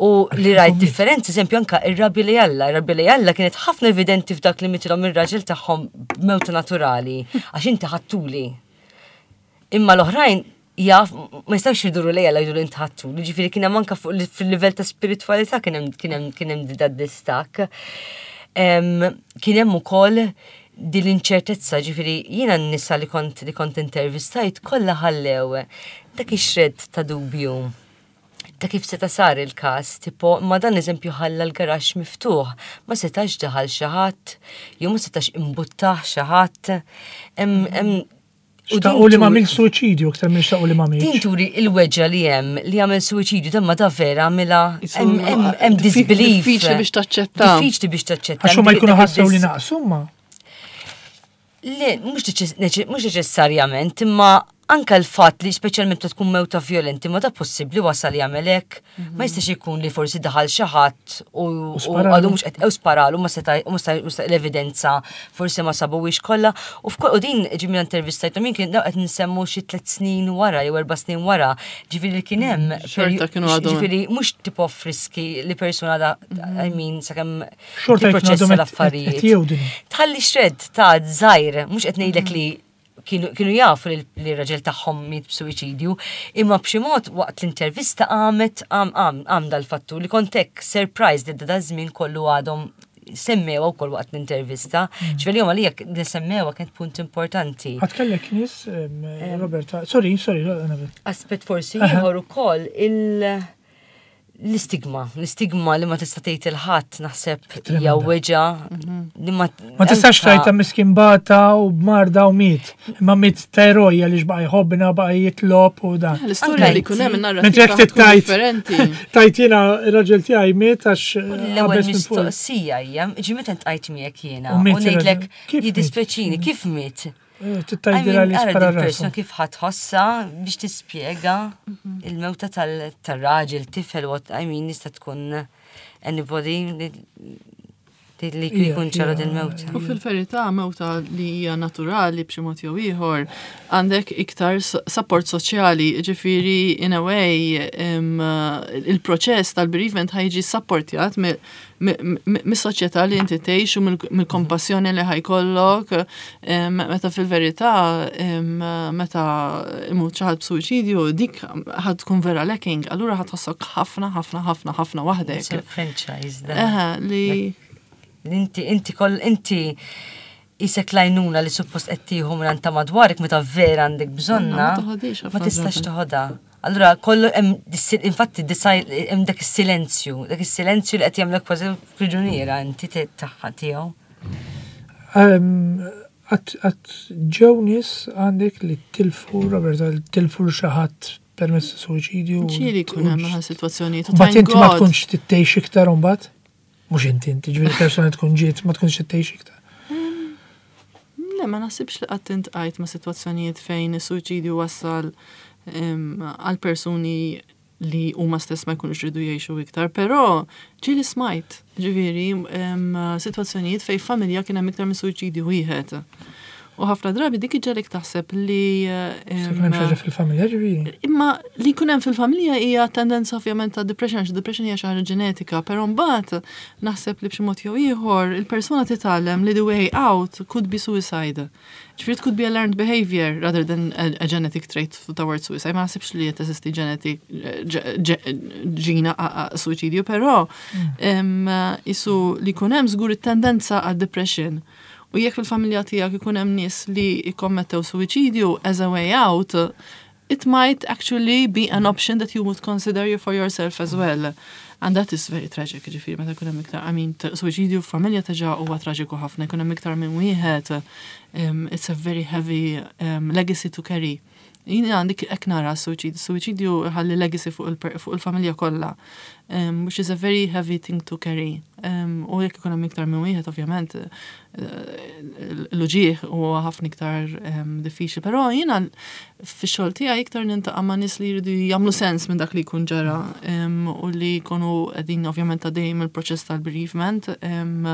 U li rajt differenzi, eżempju, anka ir-rabja li Alla, ir-rabja li Alla kienet ħafna evidenti f'dak li mitilhom ir-raġel tagħhom b'mewta naturali, għax inti ħadtuli. Imma l-oħrajn jaf ma jistgħux jiduru lejja la jgħidu inti ħadtuli, ġifieri kien hemm anka fuq fil-livell ta' spiritualità kien hemm kien hemm kien hemm da distakk. Kien hemm ukoll din l-inċertezza, ġifieri jiena n-nisa li kont li kont intervistajt kollha ħallew dak ix-shred ta' dubju ta' kif seta sar il-kas, tipo, ma dan eżempju ħalla l-garaxx miftuħ, ma setax daħal xi ħadd, jew ma setax imbuttaħ xi ħadd. Hemm U xtaqu li ma għamilx suwiċidju aktar minn xtaqu li ma Din għamilx. turi il-weġġa li hemm li għamel suwiċidju, dan ma da vera għamilha, Isu- hemm disbelief. Diffiċli biex taċċetta. Diffiċli biex taċċetta. Għax huma jkunu Dak ħassew li id-dis- naqsu ma. Le, mhux neċess- mhux neċessarjament, imma Anka l-fatt li speċjalment meta tkun mewta violenti, ma da possibbli wasal jagħmel hekk. Ma jistax ikun li forsi daħal xi ħadd u U u sparalu. għadu mhux qed ew sparalu ma seta' u ma sta- ma sta- l-evidenza forsi ma sabuwix kollha. U f'kol u din ġimmi intervistajtu min kien daw qed nsemmu xi tliet snin wara jew erba' snin wara. Ġifieri li kien hemm Xorta kienu għadhom. Ġifieri mhux tipo friski li persuna da I mean sakemm Xorta jkunu tipproċessa għadhom qed- l-affarijiet. qed jgħidu. Tħalli xred ta' żgħir, mhux qed ngħidlek li kienu, kienu jafu li li r-raġel tagħhom miet b'suwiċidju, imma b'xi mod waqt l-intervista għamet għam għam għam dal-fattur li kont hekk surprised li da żmien kollu għadhom semmewa wkoll waqt l-intervista. Ġifieri jom għalija li semmewa kienet punt importanti. Għad kellek nies, em, Roberta, sorry, sorry, Annabel. Aspett forsi Aha. ieħor ukoll il- l-istigma, l-istigma li ma tista' tgħid il-ħadd naħseb hija Tremenda. weġa li ma Ma tistax anka- tajta miskin bata u b'marda u miet. Imma miet ta' eroja li xbaqa jħobbna, baqa jitlob u dan. L-istorja Anka li jkun hemm Mentre in-narrativa jekk tkun tittajt. differenti. Tajt jiena ir-raġel tiegħi miet għax L-ewwel qabeż minn fuq. mistoqsija hija, ġi meta ntqajt miegħek jiena U u miet ngħidlek ir-raġel. Kif miet? jiddispjaċini kif miet? Eh, Tittajdira li Ara spara din persuna rasu. kif ħa tħossha biex tispjega il-mewta tal- tal-raġel, tifel, what I mean, nista tkun anybody li li Ija, jkun ċara ija, din mewta. U fil-verità mewta li hija naturali b'xi mod jew ieħor għandek iktar s- support soċjali, ġifieri in a way em, il-proċess tal-bereavement ħa jiġi supportjat mi- mi- mi- mis-soċjetà li inti tgħix u mill- mill-kompassjoni li ħa jkollok em, meta fil-verità em, meta imut xi ħadd b'suwiċidju dik ħa tkun vera lacking, allura ħa tħossok ħafna ħafna ħafna ħafna waħdek. Franchise da. Eħe, li Inti, inti koll, inti isek lajnuna li suppost qed tieħu minn ta' madwarek meta vera għandek bżonna, Ma toħodix ħafna ma tistax drabi. toħodha. Allura kollu hemm dis- infatti disaj- hemm dak is-silenzju, dak is-silenzju li qed jagħmlek kważi priġuniera inti te- tagħha tiegħu. Għat ġew nies għandek li tilfu, Roberta, li tilfu xi ħadd permezz ta' suwiċidju. ġieli jkun hemm sitwazzjonijiet. u Mbagħad thank inti ma God. tkunx tittejx iktar mbagħad? Mhux inti, inti ġifieri persuna tkun ġiet ma tkunx tittejx iktar. Le, ma naħsibx li qatt intqajt ma' sitwazzjonijiet fejn is-suwiċidju wassal em, għal persuni li huma stess ma jkunux ridu jgħixu iktar, però ġieli smajt, ġifieri, em, sitwazzjonijiet fejn familja kien hemm iktar minn suwiċidju wieħed. U ħafna drabi dik iġġegħlek taħseb li em, Se kien hemm xi ħaġa fil-familja ġifieri. Imma li jkun hemm fil-familja hija tendenza ovvjament ta' depression, għax depression hija xi ħaġa ġenetika, però mbagħad naħseb li b'xi mod jew ieħor il-persuna titgħallem li the way out could be suicide. Ġifieri it could be a learned behavior rather than a, a genetic trait towards suicide. Ma naħsibx li teżisti genetic ġina suicidju, però em, isu li jkun hemm żgur it-tendenza għal depression. U jekk fil-familja tiegħek ikun hemm nies li jikkommettew suwiċidju as a way out, it might actually be an option that you would consider you for yourself as well. And that is very tragic, ġifieri, meta jkun hemm iktar, I mean, suwiċidju f'familja diġà huwa traġiku ħafna, jkun hemm iktar minn wieħed, um, it's a very heavy um, legacy to carry. Jien għandik hekk nara suwiċidju, suwiċidju ħalli legacy fuq il- fuq il-familja kollha, um, which is a very heavy thing to carry. Um, u jekk ikun hemm iktar minn wieħed, ovvjament, eh, l-uġigħ huwa ħafna iktar um, diffiċli. Però jiena fix-xogħol tiegħi iktar niltaqa' ma' nies li jridu jagħmlu sens minn dak li jkun ġara um, u li jkunu qegħdin ovvjament għaddejjin mill-proċess tal-bereavement um,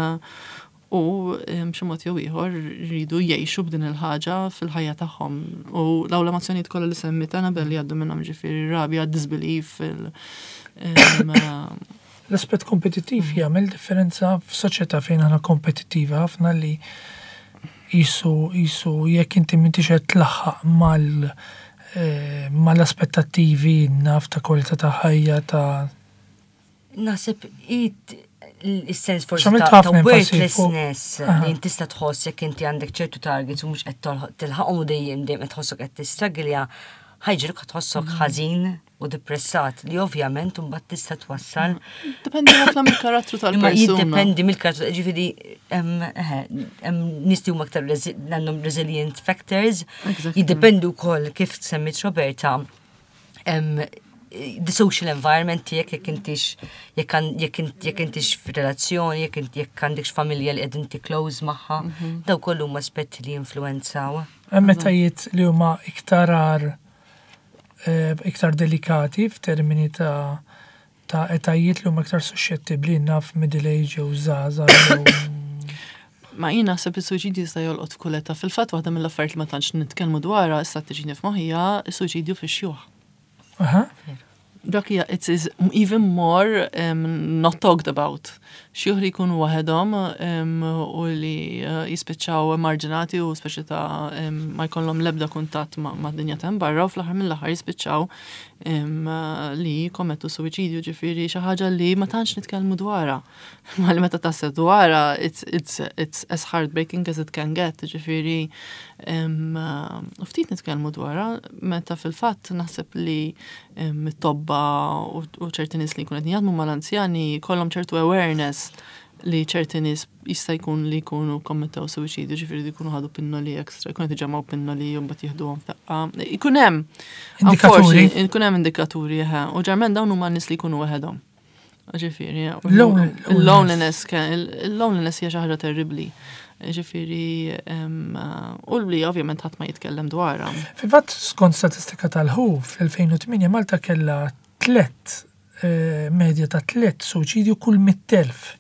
u um, b'xi mod jew ieħor jridu jgħixu b'din il-ħaġa fil-ħajja tagħhom. U dawn l-emozzjonijiet kollha li semmit Annabel li jgħaddu minnhom ġifieri rabja, disbelief, il, um, L-aspett kompetittiv jagħmel differenza f'soċjetà fejn aħna kompetittiva ħafna li jisu jisu jekk inti m'intix qed tlaħħaq mal eh, mal-aspettattivi naf ta' kwalità ta' ħajja ta' Naħseb it il-sens forsi X'għamilt ta' ta' ħafna enfasi fuq- worthlessness Aha. li inti tista' tħoss jekk inti għandek ċertu targets u mhux qed tolħ- tilħaqhom u dejjem dejjem qed tħossok qed tistragilja, ħa jġegħluk tħossok ħażin u depressat li ovvjament mbagħad tista' twassal Dependi ħafna mill-karattru Imma tal-persuna. jiddependi mill-karattru, ġifieri hemm eħe, hemm nies li huma aktar resi- għandhom resilient factors, Exactly. jiddependu wkoll kif semmit Roberta, hemm the social environment tiegħek, jekk intix jekk jekk jekk intix f'relazzjoni, jekk int jekk għandekx familja li qed inti close magħha, daw kollu huma aspetti li jinfluwenzaw. Hemm etajiet li huma iktar ar eh, iktar delikati f'termini ta' ta' etajiet li huma iktar suscettibbli, naf, middle age jew żgħażagħ jew Ma jien naħseb is-suċidju jista' jolqot f'kull età. Fil-fatt, waħda mill-affarijiet li ma tantx nitkellmu dwarha, issa tiġini f'moħħi, is-suċidju fix-xjuħ. Aha. Dak hija, it is even more um, not talked about. Xjuħ li jkunu waħedhom um, u li uh, jispiċċaw marġinati u speċi ta' um, ma jkollhom l-ebda kuntatt ma' ma' dinja ta' barra u fl-aħħar mill-aħħar jispiċċaw um, uh, li jkommettu suwiċidju. Ġifieri xi ħaġa li ma tantx nitkellmu dwarha. Ma li meta taħseb dwarha, it's, it's, it's as heartbreaking as it can get. Ġifieri um, uh, u ftit nitkellmu dwarha, meta fil-fatt naħseb li um, it-tobba u u ċerti nies li jkunu qed jaħdmu mal-anzjani kollhom ċertu awareness li ċerti nies jista' jkun li jkunu kommettew suwiċidju, ġifieri li jkunu ħadu pinnoli extra, jkunu qed iġemmgħu pinnoli u mbagħad jieħduhom f'daqqa. Ikun hemm Indikaturi. Unfortunately, ikun hemm indikaturi, eħe. U ġeneralment dawn huma nies li jkunu waħedhom. Ġifieri, u Lonely- il-loneliness, il-loneliness hija xi ħaġa terribbli. Ġifieri, em, u li ovvjament ħadd ma jitkellem dwarha. Fil-fatt, skont statistika tal-W H O, fl-elfejn u tmienja Malta kella tlet eh, medja ta' tlet suċidju kull mitt elf.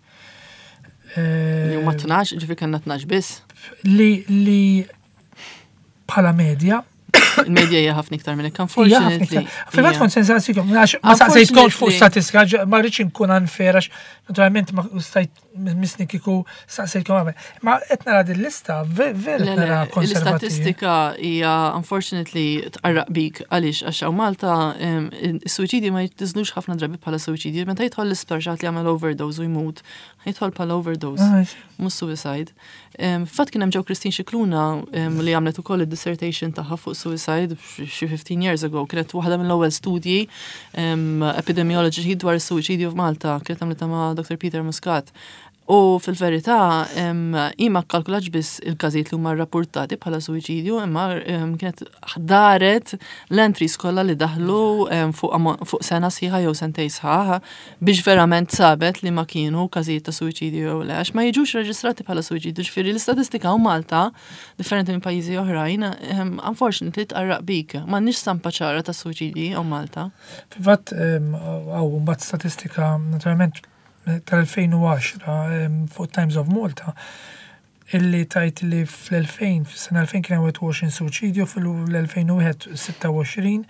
Eh, Li huma tnax, ġifieri kellna tnax biss. Li li bħala medja Il-medja hija ħafna iktar minn hekk, hija ħafna unfortunately. iktar. Fil-fatt hija. kont se nsaqsikom, għax ma saqsejtkomx fuq Unfortunately. statistika, ġ- ma rridx inkun unfair għax naturalment ma stajt misni kieku saqsejtkom qabel. Ma qed nara din lista ve- vera Le, qed le, nara konservattivi. l-istatistika hija unfortunately tqarraq bik. Għaliex? Għax hawn Malta em, is-suwiċidji ma jitniżlux ħafna drabi bħala suwiċidji. Meta jidħol l-isptar xi ħadd li jagħmel overdose u jmut, jidħol bħala overdose, Ah, mhux suicide. Em, Fatt kien hemm ġew Christine Scicluna em, li għamlet ukoll id-dissertation tagħha fuq suicide xi fifteen years ago. Kienet waħda mill-ewwel studji em, epidemiology dwar is-suwiċidju f'Malta, kienet għamlitha ma' Doctor Peter Muscat. U fil-verità, em, hi ma kkalkulatx biss il-każijiet li huma rrapportati bħala suwiċidju, imma em, kienet daret l-entries kollha li daħlu em, fuq amo- fuq sena sħiħa jew sentej sħaħ biex verament sabet li ma kienu każijiet ta' suwiċidju jew le, għax ma jiġux reġistrati bħala suwiċidju. Ġifieri l-istatistika u Malta, differenti minn pajjiżi oħrajn, em, unfortunately tqarraq bik. M'għandniex stampa ċara ta' suwiċidji hawn Malta. Fil-fatt, hawn mbagħad statistika naturalment tal-elfejn u għaxra em, fuq Times of Malta illi tajt li fl-elfejn, fis-sena elfejn kien hemm wieħed u għoxrin suċidju, fil-elfejn u wieħed sitta u għoxrin,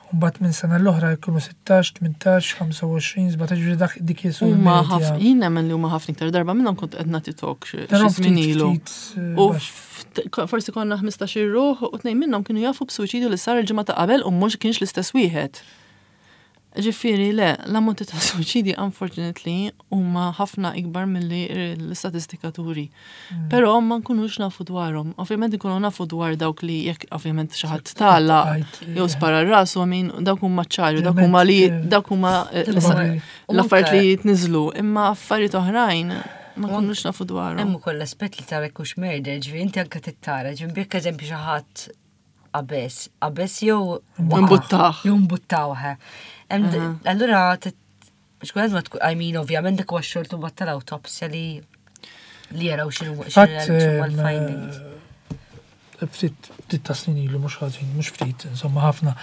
u mbagħad minn sena l-oħra jkunu sittax, tmintax, ħamsa u għoxrin, sbatax, ġifieri dak dik jisu Huma l-medja. ħafna, jien nemmen li huma ħafna iktar. Darba minnhom kont qed nagħti talk xi Darom xi żmien ftit- ilu. ftit, eh, U baxx. ft- forsi konna ħmistax-il ruħ u tnejn minnhom kienu jafu b'suwiċidju li sar il-ġimgħa ta' qabel u mhux kienx l-istess wieħed. Ġifieri le, l-ammonti ta' suwiċidi unfortunately huma ħafna ikbar milli l-istatistika turi. Mm. Però ma nkunux nafu dwarhom. Ovvjament nkunu nafu dwar dawk li jekk ovvjament xi ħadd tala Għajt, jew spara rasu, min dawk huma ċari, dawk Ovvjament, huma li eh, dawk huma eh, Probabbli. U l-affarijiet anke- li jitniżlu, imma affarijiet oħrajn ma nkunux nafu dwarhom. Hemm ukoll l-aspett li tara kux murder, ġifieri inti anke tittara, ġifieri jekk eżempju xi ħadd qabeż, qabeż jew waqa', Mbuttah. Jew mbuttawh. Hemm- Allura xkultant ma tkun, I mean, ovvjament dak huwa x-xogħol mbagħad tal-awtopsja li li jaraw x'inhu Fatt, x'inhu l-findings. eh, ftit ftit ta' snin ilu, mhux ħażin, mhux ftit, insomma ħafna.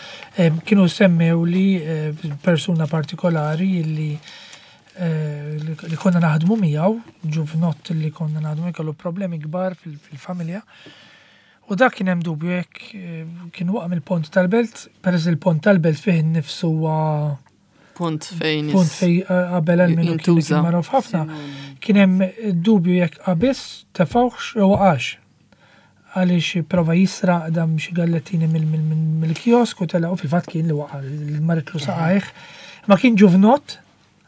Em, Kienu semmew li eh, persuna partikolari li eh, li li konna naħdmu miegħu, ġuvnott li konna naħdmu, kellu problemi kbar fil- fil-familja. U dak kien hemm dubju jekk eh, kien waqa' mill-pont tal-belt, peress li l-pont tal-belt fih innifsu huwa Punt fejn punt fej eh, qabel għal minnu kien jintuża. kien magħruf ħafna. Kien hemm dubju jekk qabiż tefawx jew waqax. Għaliex prova jisraq dam xi gallettini mill-kiosk u tela u fil-fatt kien li waqa' li marritlu saqajh. Ma kien ġuvnott,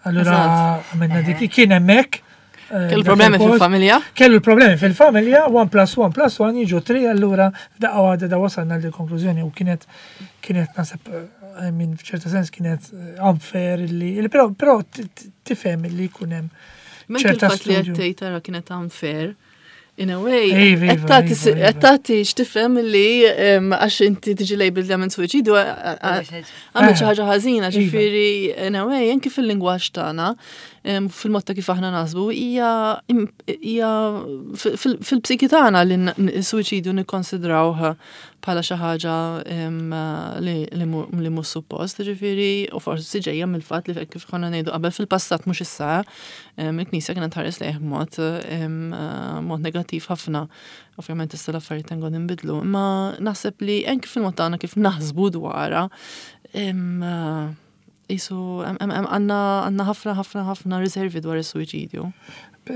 allura Eżatt. għamilna dik kien hemmhekk. eh, Kellu dak problemi il-post. fil-familja? Kellu l-problemi fil-familja, one plus one plus one jiġu three, allura f'daqqa waħda da wasalna l konklużjoni u kienet kienet naħseb, eh, I mean, f'ċerta sens kienet eh, unfair li, li però però tifhem li jkun hemm Menk ċerta il-fatt li studju. qed tgħid tara kienet unfair. In a way, Iva, iva, qed tagħti iva, iva. qed tagħti x'tifhem li em, għax inti tiġi labeled li għamilt suwiċidju għamilt xi ħaġa ħażina, Iva. ġifieri in a way, anki fil-lingwaġġ tagħna, em, fil-mod ta' kif aħna naħsbu, hija im- hija fil- fil-psiki tagħna li n- n- suwiċidju nikkonsidrawh bħala xi ħaġa em, li li mu- li mhux suppost, ġifieri, u forsi ġejja mill-fatt li kif konna ngħidu qabel fil-passat mhux issa, em, il-Knisja kienet tħares lejh b'mod em, mod negattiv ħafna. Ovvjament issa l-affarijiet tengon inbidlu, imma naħseb li anki fil-mod tagħna kif naħsbu dwarha, em, jisu għandna għandna ħafna ħafna ħafna riservi dwar is-suwiċidju.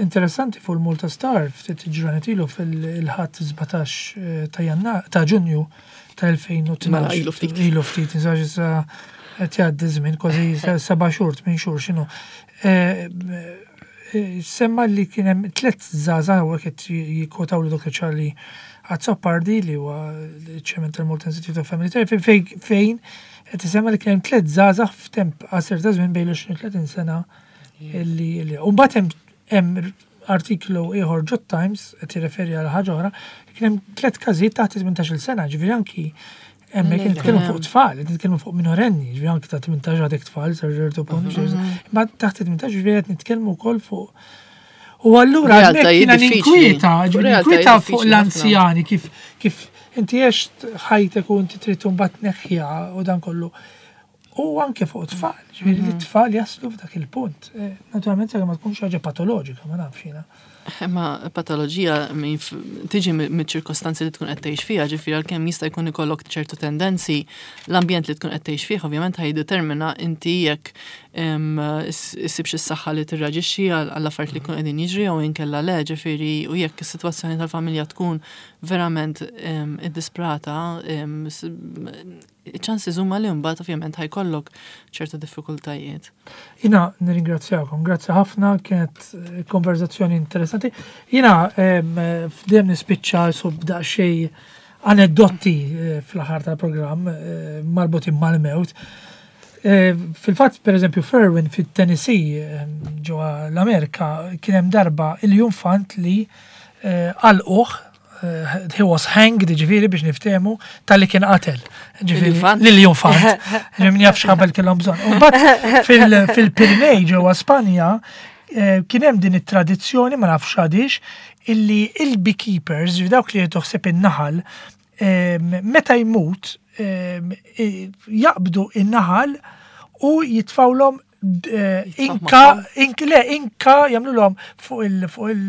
Interessanti fuq il-Malta Star, ftit ġranet ilu fil-ħadd sbatax eh, ta' Janna ta' Ġunju tal-elfejn u tnax. Mela, ilu ftit. Ilu ftit, nsax issa qed jgħaddi żmien kważi seba' xhur, tmien xhur x'inhu. Eh, eh, Semma li kien hemm tliet żgħażagħ u qed jikkwotaw li Doctor Charlie Azzopardi, li huwa ċ-chairman tal-Malta Institute of Family Therapy, fejn fejn qed isemma li kien hemm tliet żgħażagħ f'temp qasir ta' żmien bejn l-għoxrin u tletin sena illi illi u mbagħad hemm hemm artiklu ieħor ġo Times qed jirreferi għal ħaġa oħra, kien hemm tliet każijiet taħt tmintax-il sena, ġifieri anki hemmhekk Le, nitkellmu le. fuq tfal, qed nitkellmu fuq minorenni, ġifieri anki ta' tmintax għadek tfal, sa ċertu punt, imma taħt tmintax ġifieri qed nitkellmu wkoll fuq. U allura Realtajiet hemmhekk jiena diffiċli. ninkwieta, ġifieri Realtajiet ninkwieta fuq diffiċli ħafna. l-anzjani kif kif inti għext ħajtek u inti trid mbagħad tneħħiha u dan kollu. U anke fuq tfal, ġifieri li t-tfal jaslu f'dak il-punt. Eh, Naturalment sakemm ma tkunx ħaġa patoloġika, ma nafx jiena. Imma patoloġija min f- tiġi miċ-ċirkostanzi li tkun qed tgħix fiha, ġifieri għalkemm jista' jkun ikollok ċertu tendenzi, l-ambjent li tkun qed tgħix fih ovvjament ħa jiddetermina inti jekk em, is- issibx is-saħħa li tirreaġixxi għal għall affarijiet li jkun qegħdin jiġri jew inkella le, ġifieri u jekk is-sitwazzjoni tal-familja tkun verament em, iddisprata, em, s- ċansi huma li mbagħad ovvjament ħa jkollok ċertu diffikultajiet. Jiena nirringrazzjakom, grazzi ħafna, kienet eh, konverzazzjoni interessanti. Jiena em, f'dem nispiċċa sub daqsxejn aneddotti eh, fl-aħħar tal-programm eh, marbutin mal-mewt. Eh, Fil-fatt, per eżempju, f'Erwin fit-Tennessee, eh, ġewwa l-Amerika, kien hemm darba il-infant li eh, għalquh, eh, he was hanged, ġifieri biex niftehmu, talli kien qatel. Ġifieri, Il-infant? Lill-infant. Ġifieri min jaf x'ħabel kellhom bżonn. U mbagħad fil- fil-Pirinej ġewwa Spanja eh, kien hemm din it-tradizzjoni, ma nafx għadix, illi il-beekeepers, ġifieri dawk li toħseb in-naħal, eh, meta jmut eh, jaqbdu in-naħal u jitfawlhom eh, inka, ink, le, inka jagħmluhom fuq il, fuq il,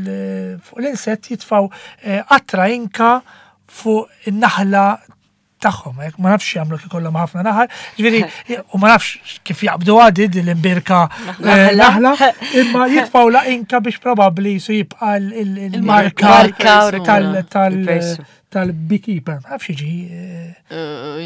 fuq l-insett jitfaw eh, qatra inka fuq in-naħla tagħhom, hekk ma nafx jagħmlu kif ikollhom ħafna naħal, ġifieri u ma nafx kif jaqbdu għadi din l-imbirka eh, naħla, imma jitfaw la inka biex probabbli su jibqa' il-marka Marka tal tal Il-persu. tal-beekeeper. Ma nafx jiġi eh,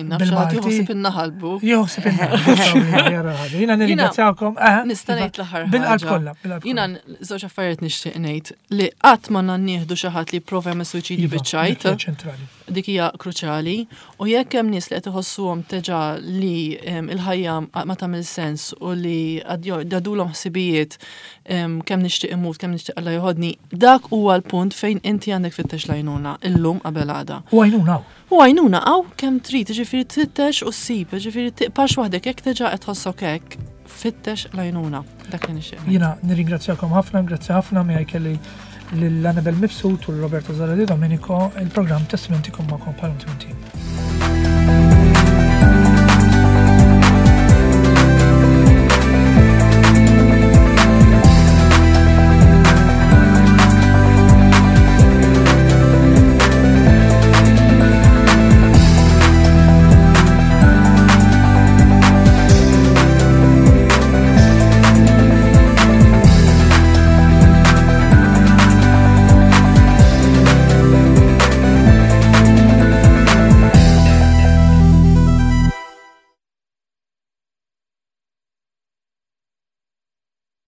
Nafx Bil-Malti. ħadd in-naħal bu. Jħossib in-naħal. Jiena nirringrazzjakom. eh, Nista' iva, ngħid l-aħħar Bil-qalb ħaġa. kollha, bil-qalb Jiena kollha. żewġ affarijiet nixtieq ngħid li qatt ma nieħdu xi ħadd li jipprova jagħmel suwiċidju Iva, biċ-ċajt, dik hija ċentrali. Dik hija kruċjali, u jekk hemm nies li qed iħossuhom diġà li em, il-ħajja ma tagħmel sens u li għaddulhom ħsibijiet em, kemm nixtieq imut, kemm nixtieq Alla joħodni, dak huwa l-punt fejn inti għandek tfittex l-għajnuna illum qabel għada. U għajnuna hawn. U għajnuna hawn kemm trid, ġifieri tfittex u ssib, ġifieri tibqax waħdek jekk diġà qed tħossok hekk, fittex l-għajnuna. Dak li nixtieq. Jiena nirringrazzjakom ħafna, grazzi ħafna miegħi kelli lil Annabel Mifsud u l-Roberto Zara Di Domenico, il-programm Testamenti magħkom bħal